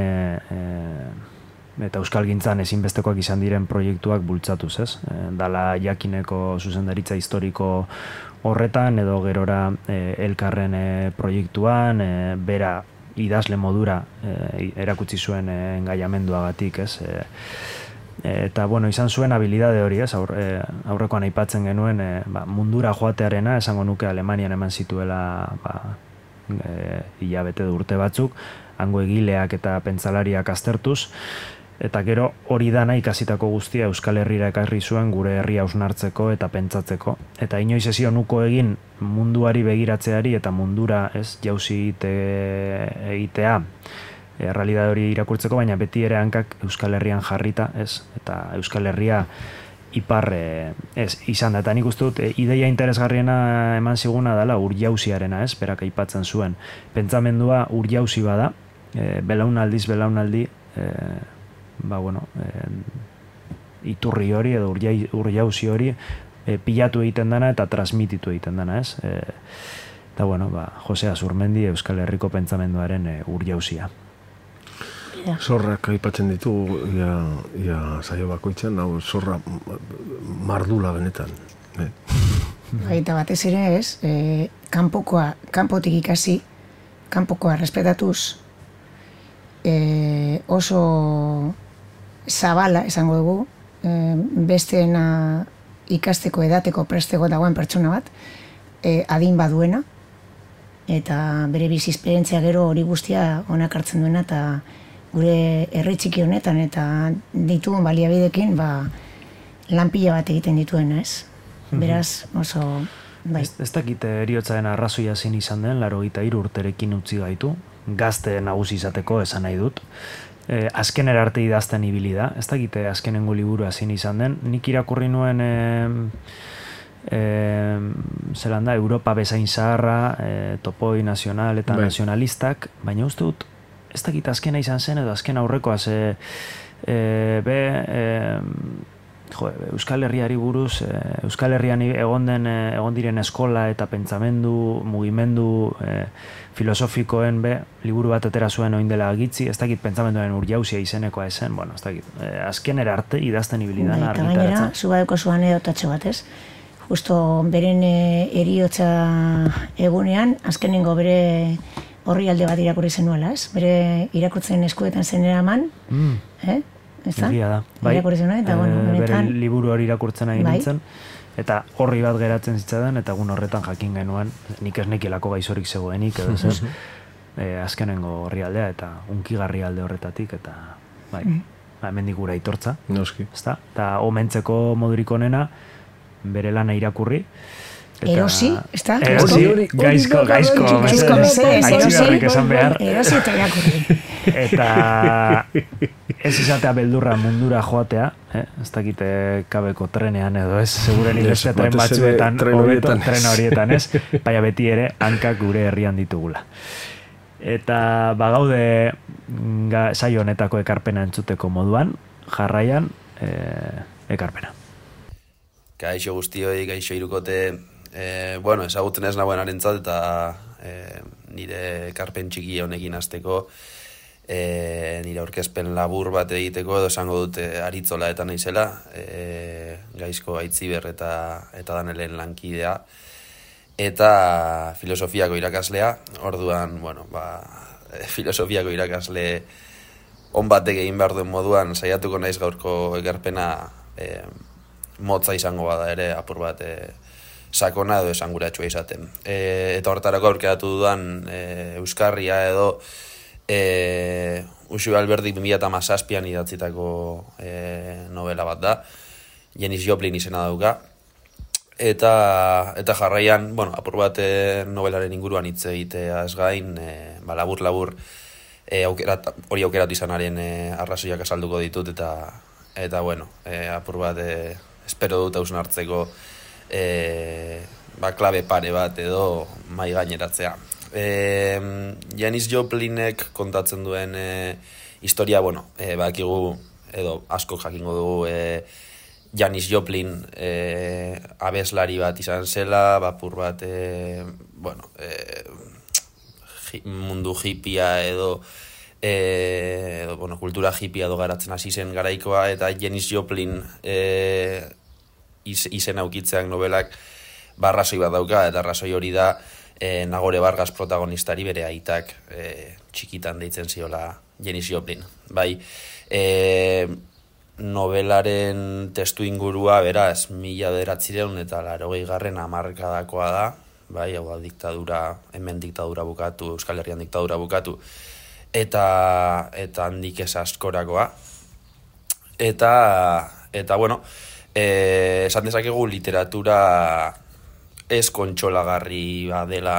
eta euskalgintzan ezinbestekoak izan diren proiektuak bultzatuz, ez? Dala jakineko zuzendaritza historiko horretan, edo gerora elkarren proiektuan, bera idazle modura erakutsi zuen engaiamenduagatik, ez? Eta, bueno, izan zuen habilidade hori, ez? Aurrekoan aipatzen genuen mundura joatearena, esango nuke Alemanian eman zituela hilabete urte batzuk, hango egileak eta pentsalariak aztertuz, eta gero hori dana ikasitako guztia Euskal Herrira ekarri zuen gure herria hausnartzeko eta pentsatzeko. Eta inoiz ezio nuko egin munduari begiratzeari eta mundura ez jauzi egitea errealidade hori irakurtzeko, baina beti ere hankak Euskal Herrian jarrita, ez? Eta Euskal Herria ipar izan da. Eta nik uste dut, ideia interesgarriena eman ziguna dela urjauziarena, ez? Berak aipatzen zuen. Pentsamendua urjauzi bada, belaunaldiz belaunaldi, iturri hori edo urjauzi hori pilatu egiten dana eta transmititu egiten dana, ez? Eta, Jose Azurmendi Euskal Herriko pentsamenduaren urjauzia. Zorrak aipatzen ditu, ia saio bakoitzan, hau zorra mardula benetan. Eta batez ere ez, kanpotik ikasi, kanpokoa respetatuz, oso zabala esango dugu, besteena ikasteko edateko presteko dagoen pertsona bat, adin baduena, eta bere bizi esperientzia gero hori guztia onak hartzen duena, eta gure herri txiki honetan eta ditugun baliabidekin lan pila bat egiten dituena, ez? Beraz, oso... Ez dakite eriotzaren arrazoia zein izan den, 83 urterekin utzi gaitu, gazte nagusi izateko esan nahi dut. Azkenera arte idazten ibili da, ez dakite azkenengo liburua zein izan den, nik irakurri nuen zelan da, Europa bezain zaharra, topoi nazional eta nazionalistak, baina uste dut, ez dakit azkena izan zen edo azken aurrekoaz Euskal Herriari buruz, Euskal Herrian egon diren eskola eta pentsamendu, mugimendu filosofikoen liburu bat atera zuen oin dela agitzi, ez dakit pentsamenduaren urjauzia izenekoa ezen, ez dakit, azkenera arte idazten ibilidan argitaratzen. Eta gainera, zubadeko zuan edotatxo bat, ez? Justo beren eriotza egunean, azkenengo bere horri alde bat irakurri zenuela, ez? Bere irakurtzen eskuetan zenera eman, Egia da. Irakurri zenuen, eta bere liburu hori irakurtzen ari nintzen, eta horri bat geratzen zitzadan, eta egun horretan jakin genuen, nik ez nekielako gaizorik zegoenik, edo zer, azkenengo horri aldea, eta unkigarri alde horretatik, eta hemendik gura aitortza, eta omentzeko modurik onena, bere lana irakurri, erosi, ez da? Erosi, gaizko, aitzigarrik esan behar. Erosi eta irakurri. Eta ez izatea beldurra mundura joatea, ez dakite kabeko trenean edo ez, seguren beste tren batzuetan, tren horietan, ez? Baina beti ere, hankak gure herrian ditugula. Eta bagaude saio honetako ekarpena entzuteko moduan, jarraian ekarpena. Gaixo guztioi, gaixo irukote, ezagutzen ez nagoen arentzat eta nire ekarpen txiki honekin hasteko, nire aurkezpen labur bat egiteko edo esango dute aritzola eta naizela, Gaizko Aitziber eta Danelen lankidea, eta filosofiako irakaslea, orduan, filosofiako irakasle on batek egin behar duen moduan saiatuko naiz gaurko ekarpena motza izango bada ere apur bat sakona edo esanguratsua izaten. Eta horretarako aurkeratu dudan Euskarria edo Uxue Alberdik 2017an idatzitako novela bat da, Janis Joplin izena dauka, eta jarraian, apur bat novelaren inguruan hitz egitea ez gain, labur hori aukeratu izanaren arrazoiak azalduko ditut, eta apur bat espero dut hausnartzeko klabe pare bat edo mai gaineratzea. Janis Joplinek kontatzen duen historia, bakigu edo asko jakingo dugu Janis Joplin abeslari bat izan zela, bapur bat mundu hippia edo kultura hippia edo garatzen hasi zen garaikoa, eta Janis Joplin izen aukitzeak nobelak arrazoi bat dauka, eta arrazoi hori da Nagore Vargas protagonistari bere aitak txikitan deitzen ziola Janis Joplin. Bai, novelaren testu ingurua, beraz, 1980 eta 80garren hamarkadakoa da, bai, hau da diktadura, hemen diktadura bukatu, Euskal Herrian diktadura bukatu, eta handik ez askorakoa. Eta bueno, esan dezakegu literatura ez kontsolagarri dela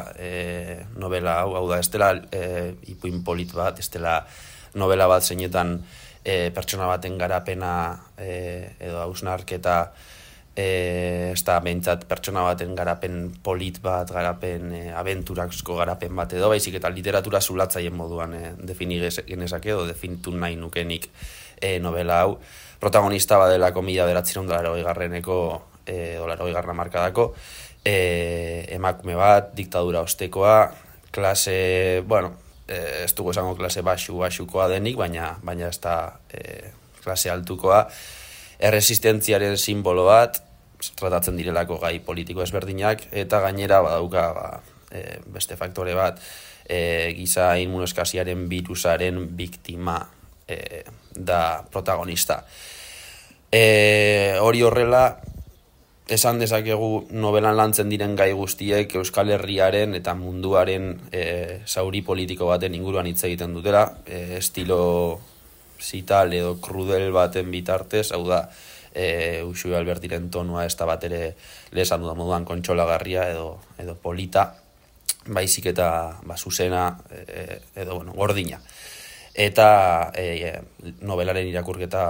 novela hau da, ez dela ipuin polit bat, ez dela novela bat zeinetan pertsona baten garapena edo hausnarketa ez da behintzat pertsona baten garapen polit bat, garapen abenturazko garapen bat edo, baizik eta literatura zulatzaien moduan defini genezake edo definitu nahi nukenik novela hau. Protagonista badelako 1980garreneko edo 80garren hamarkadako emakume bat, diktadura ostekoa, klase, ez dugu esango klase baxukoa denik, baina ez da klase altukoa, erresistentziaren simbolo bat, tratatzen direlako gai politiko ezberdinak, eta gainera badauka beste faktore bat, giza immunoeskasiaren birusaren biktima da protagonista. Hori horrela, esan dezakegu novelan lantzen diren gai guztiek Euskal Herriaren eta munduaren zauri politiko baten inguruan hitz egiten dutela, estilo zital edo krudel baten bitartez, hau da, Uxue Albertiren tonua ez da bat ere lehesan dudan moduan kontsolagarria edo polita, baizik eta zuzena edo gordina. Eta novelaren irakurketa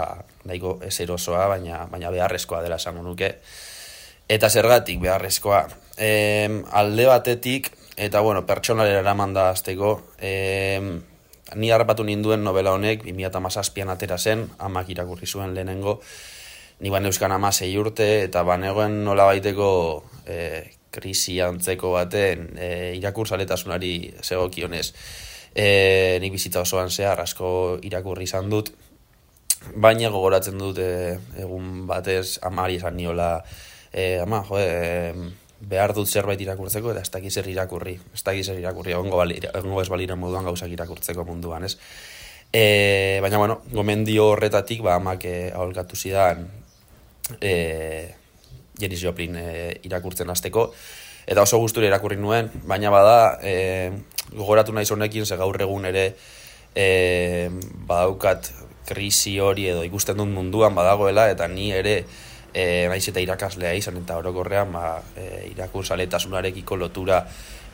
nahiko ezerosoa, baina beharrezkoa dela esango nuke. Eta zergatik beharrezkoa. Alde batetik, eta pertsonalera eraman da azteko, ni harrapatu ninduen novela honek 2017an atera zen, amak irakurri zuen lehenengo, ni baneuzkan 16 urte, eta banegoen nola baiteko krisi antzeko baten irakurtzaletasunari zegokionez. Nik bizitza osoan zehar asko irakurri izan dut, baina gogoratzen dut egun batez amari esan niola, ama, behar dut zerbait irakurtzeko eta ez dakiz zer irakurri, egongo ez balira moduan gauzak irakurtzeko munduan, ez? Baina, gomendio horretatik, amak aholkatu zidan Janis Joplin irakurtzen hasteko, eta oso gustura irakurri nuen, baina bada, gogoratu naiz honekin, ze gaur egun ere badaukat krisi hori edo ikusten dut munduan badagoela, eta ni ere naiz eta irakaslea izan, eta orokorrean irakurtzaletasunarekiko lotura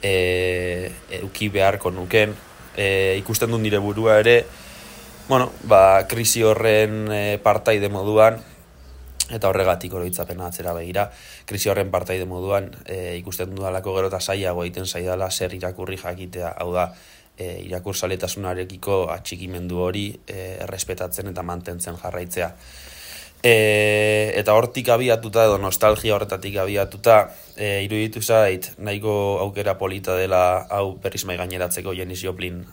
eduki beharko nuken, ikusten dut nire burua ere, krisi horren partaide moduan, eta horregatik oroitzapena atzera begira, krisi horren partaide moduan ikusten dudalako gero eta zailago egiten zaidala zer irakurri jakitea, hau da, irakurtzaletasunarekiko atxikimendu hori errespetatzen eta mantentzen jarraitzea. Eta hortik abiatuta edo nostalgia horretatik abiatuta iruditu zait nahiko aukera polita dela hau berriz mai gaineratzeko Janis Joplin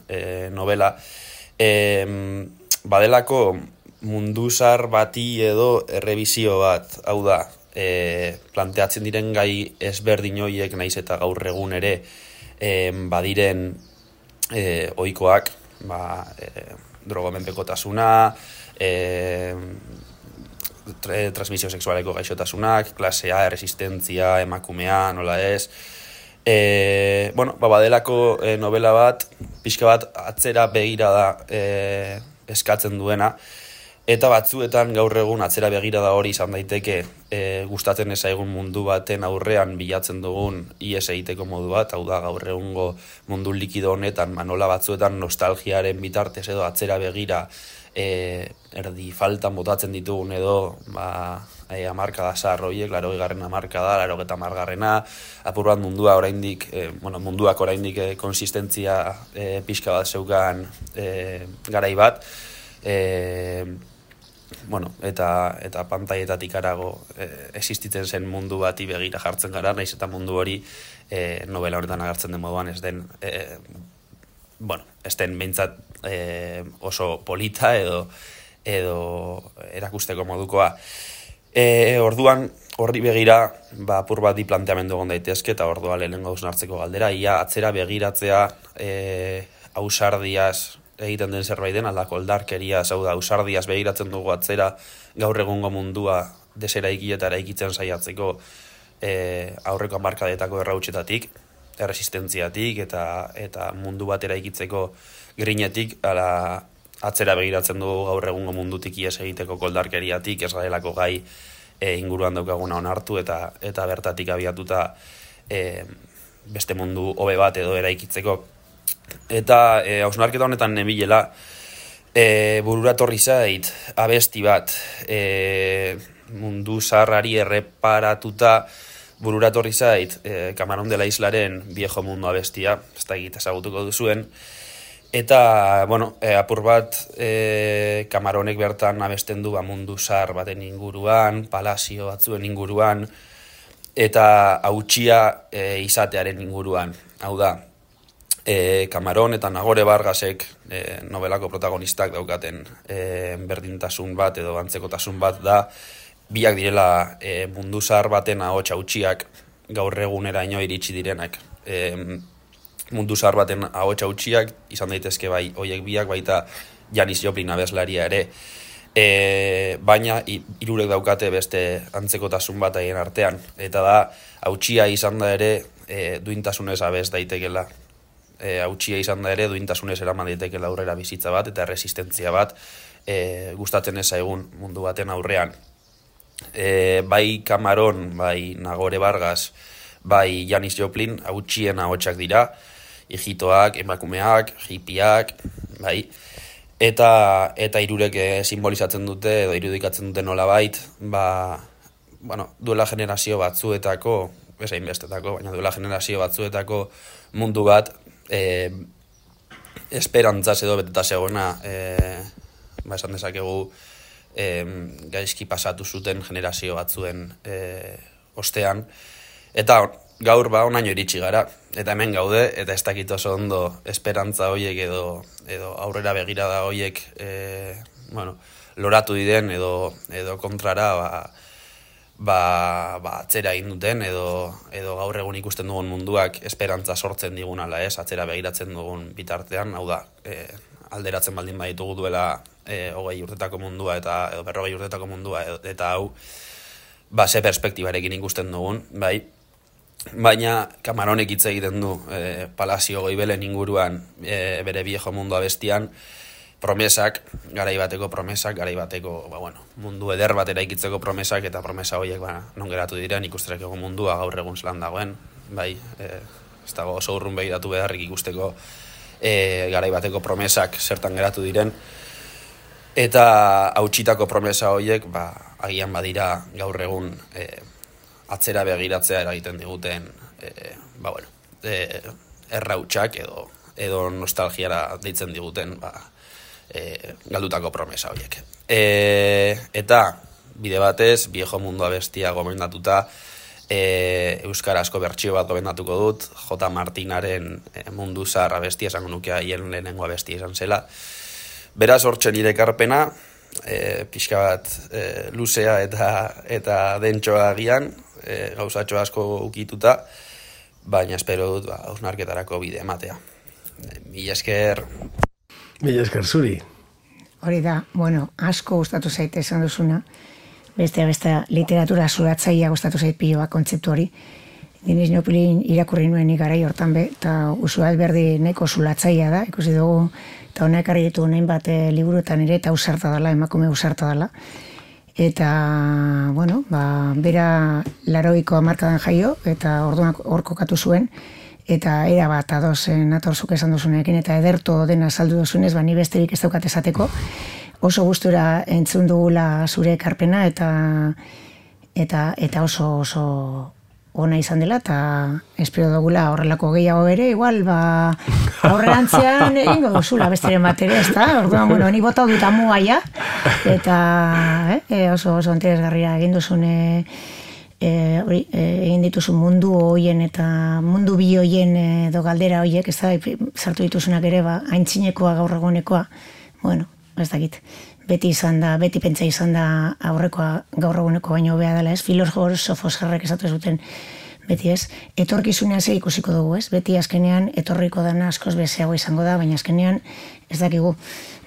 novela, badelako munduzar bati edo errebizio bat, hau da, planteatzen diren gai ezberdin horiek naiz eta gaur egun ere badiren ohikoak, drogomenpekotasuna, transmisio sexualeko gaixotasunak, klasea, erresistentzia, emakumea, nola ez. Badelako novela bat, pixka bat atzera begira da eskatzen duena, eta batzuetan gaur egun atzera begira da hori izan daiteke gustatzen ezaigun mundu baten aurrean bilatzen dugun ies egiteko modu bat, hau da gaur egungo mundu likido honetan, nola batzuetan nostalgiaren bitartez edo atzera begira erdi faltan botatzen ditugun edo hamarkada zahar horiek, 80. hamarkada, 80. apur bat mundua oraindik, munduak oraindik konsistentzia pixka bat zeukan garai bat, eta pantaietatik arago existitzen zen mundu bati begira jartzen gara, naiz eta mundu hori novela honetan agertzen den moduan ez den behintzat oso polita edo erakusteko modukoa. Orduan horri begira apur bat planteamendu egon daitezke eta ordua lehenengo hausnartzeko galdera, ia atzera begiratzea ausardiaz egiten den zerbait den, aldako oldarkeria, hau da, ausardiaz begiratzen dugu atzera gaur egungo mundua deseraiki eta eraikitzen saiatzeko aurreko hamarkadetako errautsetatik, erresistentziatik eta mundu bat eraikitzeko grinetik, ala atzera begiratzen dugu gaur egungo mundutik ies egiteko koldarkeriatik, ez garelako gai inguruan daukaguna onartu eta bertatik abiatuta beste mundu hobe bat edo eraikitzeko. Eta hausnarketa honetan nebilela burura torri zait abesti bat mundu zaharrari erreparatuta burura torri zait Camarón de la Islaren Viejo Mundo abestia, ez da egit ezagutuko duzuen. Eta, apur bat Camaronek bertan abesten du mundu zahar baten inguruan, palazio batzuen inguruan, eta hautsia izatearen inguruan. Hau da, Camarón eta Nagore Vargasek novelako protagonistak daukaten berdintasun bat edo antzekotasun bat da, biak direla mundu zahar baten ahots hautsiak gaur eguneraino iritsi direnak. Mundu zahar baten ahots hautsiak izan daitezke bai hoiek biak, baita Janis Joplin abeslaria ere. Baina hirurek daukate beste antzekotasun bat haien artean, eta da hautsia izan da ere duintasunez abes daitekela. Hautsia izan da ere duintasunez eraman daitekela aurrera bizitza bat eta erresistentzia bat gustatzen ez zaigun mundu baten aurrean. Bai Camarón, bai Nagore Vargas, bai Janis Joplin hautsien ahotsak dira, hijitoak, emakumeak, hippiak, bai. Eta hirurek simbolizatzen dute edo irudikatzen dute nolabait, duela generazio batzuetako, ez hainbestetako, baina duela generazio batzuetako mundu bat esperantzaz edo beteta zegoena, esan dezakegu gaizki pasatu zuten generazio batzuen ostean, eta gaur onaino iritsi gara, eta hemen gaude, eta ez dakit oso ondo esperantza horiek edo aurrera begirada horiek loratu diren edo kontrara atzera egin duten edo gaur egun ikusten dugun munduak esperantza sortzen digun ala ez, atzera begiratzen dugun bitartean, hau da, alderatzen baldin baditugu duela 20 urtetako mundua edo 40 urtetako mundua eta hau ze perspektibarekin ikusten dugun, bai. Baina Camaronek hitz egiten du Palazio Goibelen inguruan bere Viejo Mundo abestian promesak, garai bateko mundu eder bat eraikitzeko promesak, eta promesa horiek non geratu diren ikusterako mundua gaur egun zelan dagoen, bai, ez dago oso urrun begiratu beharrik ikusteko garai bateko promesak zertan geratu diren, eta hautsitako promesa horiek agian badira gaur egun atzera begiratzea eragiten diguten errautsak edo nostalgiara deitzen diguten galdutako promesa horiek. Eta bide batez, Viejo Mundo abestia gomendatuta, euskarazko bertsio bat gomendatuko dut, J. Martinaren Mundu Zahar abestia, esango nuke haien lehenengo abestia izan zela. Beraz, hortxe nire ekarpena, pixka bat luzea eta dentsoa agian, gauzatxo asko ukituta, baina espero dut hausnarketarako bide ematea. Mila esker. Mila esker zuri. Hori da, asko gustatu zaite esan duzuna, beste literatura zuratzaia gustatu zait piloa kontzeptu hori. Janis Joplin irakurri nuen garai hortan eta Usu Alberdi nahiko zulatzaia da, ikusi dugu, eta honek ekarri ditu hainbat liburuetan ere, eta ausarta dela, emakume ausarta dela. Eta, bera 80ko hamarkadan jaio, eta orduan hor kokatu zuen, eta era bat ados natorzuk esan duzunekin, eta ederto dena saldu duzunez, ni besterik ez daukat esateko. Oso gustura entzun dugula zure ekarpena, eta oso ona izan dela, eta espero dugula horrelako gehiago ere, igual, aurrerantzean egingo duzula besteren bat ere, ez da? Orduan, bueno, ni bota dut amua ja, eta oso interesgarria egin duzun egin dituzun mundu hoien eta mundu bi hoien edo galdera hoiek, ez da, sartu dituzunak ere, aintzinekoa gaur egunekoa, bueno, ez dakit, beti pentsa izan da aurrekoa gaur eguneko baino hobea dela, ez? Filosofos jarrek esatu zuten beti, ez? Etorkizunean ze ikusiko dugu, ez? Beti azkenean etorriko dana askoz bezeago izango da, baina azkenean ez dakigu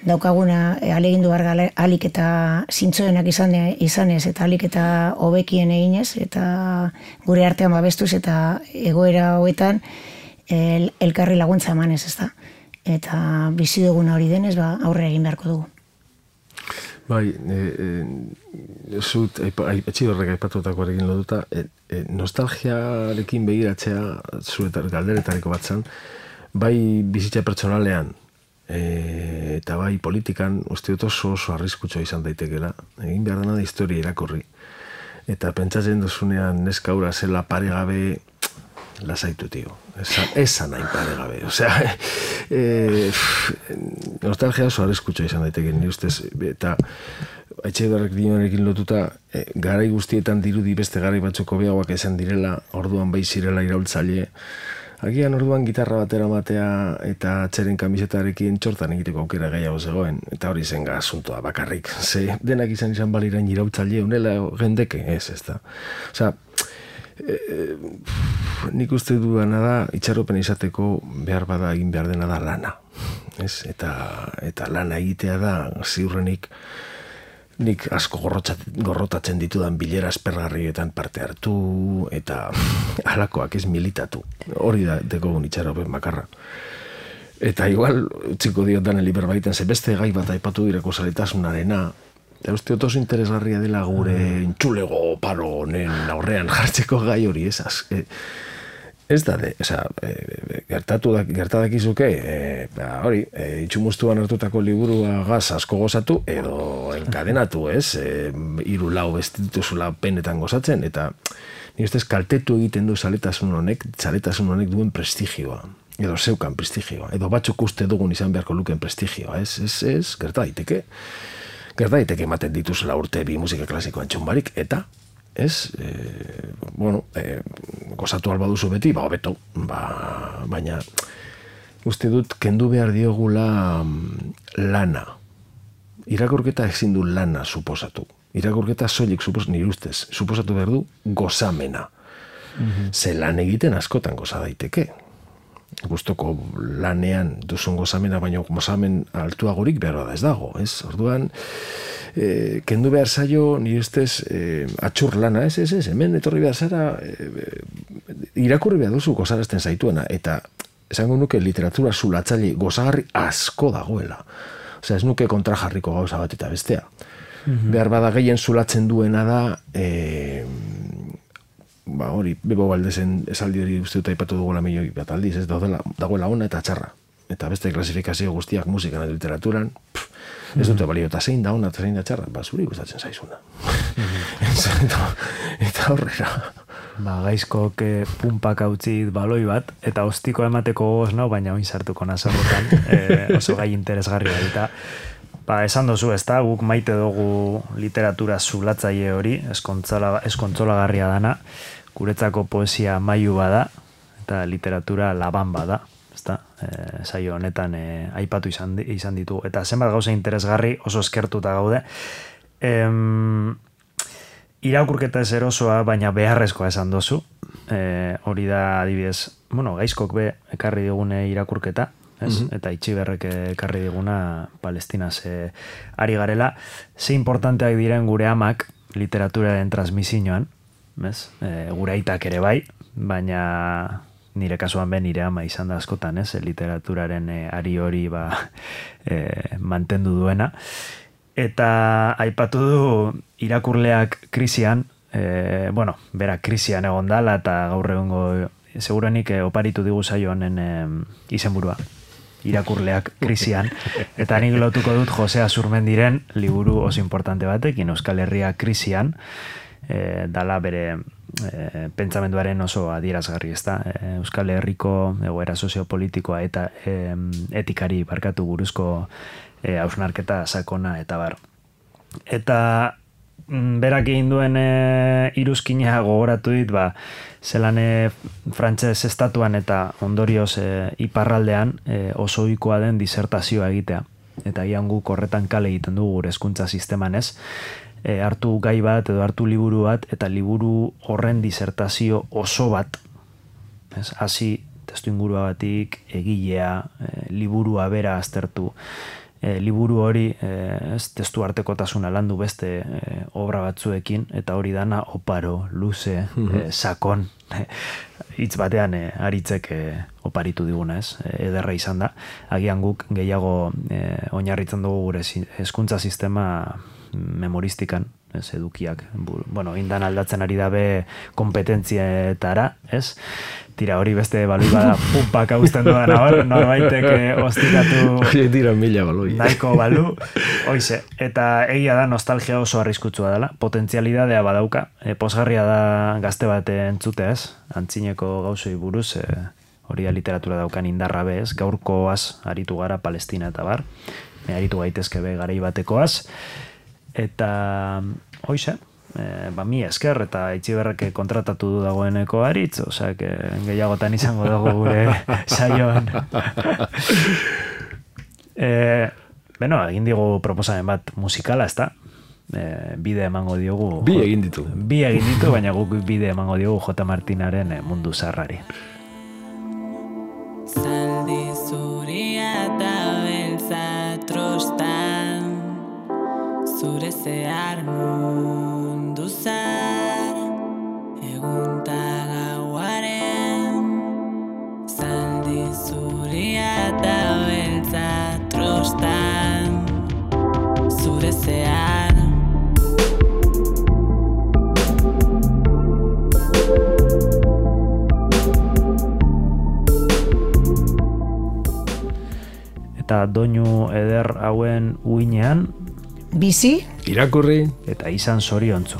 daukaguna ahalegindu behar alik eta zintzoenak izanez eta alik eta hobekien eginez eta gure artean babestuz eta egoera hoetan elkarri laguntza emanez, ez da? Eta bizi duguna hori denez, aurre egin beharko dugu. Bai, zut, etxidorrek aipatutakoarekin loduta, nostalgiarekin begiratzea zuetar galderetariko bat zan, bai bizitza pertsonalean, eta bai politikan, uste dut oso arriskutsua izan daitekela, egin behar dena da historia irakurri. Eta pentsatzen duzunean neskaura zela paregabe, lasaitu, tio. Esan nahi paregabe. Osea, nostalgia oso arriskutsua izan daiteke, ni ustez, eta etxedarrek dinoarekin lotuta, garai guztietan dirudi beste garai batzuk hobeagoak izan direla, orduan bai zirela iraultzaile, agian orduan gitarra batera matea eta atzeren kamisetarekin txortan egiteko aukera gehiago zegoen, eta hori zen asuntoa bakarrik. Ze denak izan baliran iraultzaile, unela gendeke, ez da. Osea, nik uste duena da, itxaropen izateko behar bada egin behar dena da lana. Eta lana egitea da, ziurrenik, nik asko gorrotatzen ditudan bilera aspergarrietan parte hartu, eta halakoak ez militatu. Hori da dekogun itxaropen bakarra. Eta igual, utziko diot danen liber baiten, ze beste gai bat aipatu direko zaletasunarena, eta uste oso interesgarria dela gure intxulego paro honen aurrean jartzeko gai hori, ez da, gertadakizuke, hori, itxumustuan hartutako liburua gaz asko gozatu, edo enkadenatu, ez, 3-4 bestituzula penetan gozatzen, eta ni ustez kaltetu egiten du zaletasun honek duen prestigioa, edo zeukan prestigioa, edo batzuk uste dugun izan beharko luken prestigioa, ez, gertadaiteke ematen dituzela urte bi musika klasikoan txumbarik, eta ez, gozatu alba duzu beti, hobeto, baina uste dut kendu behar diogula lana. Irakurketa ezin du lana suposatu. Irakurketa soilik nire ustez, suposatu behar du gozamena. Ze lan egiten askotan goza daiteke. Gustoko lanean duzun gozamena, baina gozamen altuagorik behar da ez dago, ez? Orduan, kendu behar zaio, nire ustez, atxur lana, ez, hemen etorri behar zara, irakurri behar duzu gozarazten zaituena, eta esango nuke literatura zulatzaile gozagarri asko dagoela. Osea, ez nuke kontrajarriko gauza bat eta bestea. Behar bada gehien zulatzen duena da, hori, Bebo Valdezen esaldi hori uste dut aipatu dugula milioi bat aldiz, ez dagoela ona eta txarra. Eta beste klasifikazio guztiak musikan eta literaturan, ez dute balio, eta zein da ona eta zein da txarra, zuri gustatzen zaizuna. Eta horrera. Gaizkok pumpak hautzit baloi bat, eta ostiko emateko gogoz nau, baina oin sartuko nazorretan, oso gai interesgarria eta esan dozu, ez da, guk maite dugu literatura zulatzaile hori, eskontzolagarria dana, guretzako poesia mailu bada, eta literatura laban bada, ez da, saio honetan aipatu izan ditu, eta zenbat gauza interesgarri oso eskertuta gaude. Irakurketa ez erosoa, baina beharrezkoa esan dozu, hori da adibidez, gaizkok be ekarri digune irakurketa, eta Itxiberrek ekarri diguna Palestinaz ari garela. Ze importanteak diren gure amak literaturaren transmisioan, gure aitak ere bai, baina nire kasuan ben nire ama izan da askotan, literaturaren ari hori mantendu duena. Eta aipatu du irakurleak krisian, bera krisian egon dala, eta gaur egongo segurenik oparitu digu zaio honen izenburua. Irakurleak krisian, eta nik lotuko dut Jose Azurmendiren liburu oso importante batekin, Euskal Herria krisian, dala bere pentsamenduaren oso adierazgarri, ezta? Euskal Herriko egoera soziopolitikoa eta etikari barkatu buruzko hausnarketa sakona eta bar. Eta berak egin duen iruzkina gogoratu dit, zelan frantses estatuan eta ondorioz iparraldean oso ohikoa den disertazioa egitea. Eta gian guk horretan kale egiten dugu gure hezkuntza sisteman, ez? Hartu gai bat edo hartu liburu bat eta liburu horren disertazio oso bat, ez? Hasi testu ingurua batik, egilea, liburua bera aztertu, liburu hori testu artekotasuna landu beste obra batzuekin, eta hori dana oparo, luze, sakon, hitz batean aritzek oparitu diguna, ez? Ederra izan da. Agian guk gehiago oinarritzen dugu gure hezkuntza sistema memoristikan, ez, edukiak. Bueno, indan aldatzen ari dabe kompetentzietara, ez? Tira, hori beste baloi bada pumpak hausten dudan hor, norbaitek ostikatu tira mila baloi. Nahiko balu, hoize. Eta egia da nostalgia oso arriskutsua dela, potentzialidadea badauka, posgarria da gazte bat entzutea, ez? Antzineko gauzoi buruz, hori da literatura daukan indarra be, ez? Gaurkoaz aritu gara Palestina eta bar, aritu gaitezke be garai batekoaz, eta hoize, mi esker eta Itziberrek kontratatu du dagoeneko aritz, osea, gehiagotan izango dugu gure saioan. Egin digu proposamen bat musikala, ezta? Bide emango diogu. Bi egin ditu, baina guk bide emango diogu J. Martinaren Mundu Zaharrari. Zaldi zuria eta beltza trostan, zure zehar mundu zar, egunta gauaren. Zaldi zuria eta beltza trostan, zure zehar. Eta doinu eder hauen uinean bizi, irakurri eta izan zoriontzu.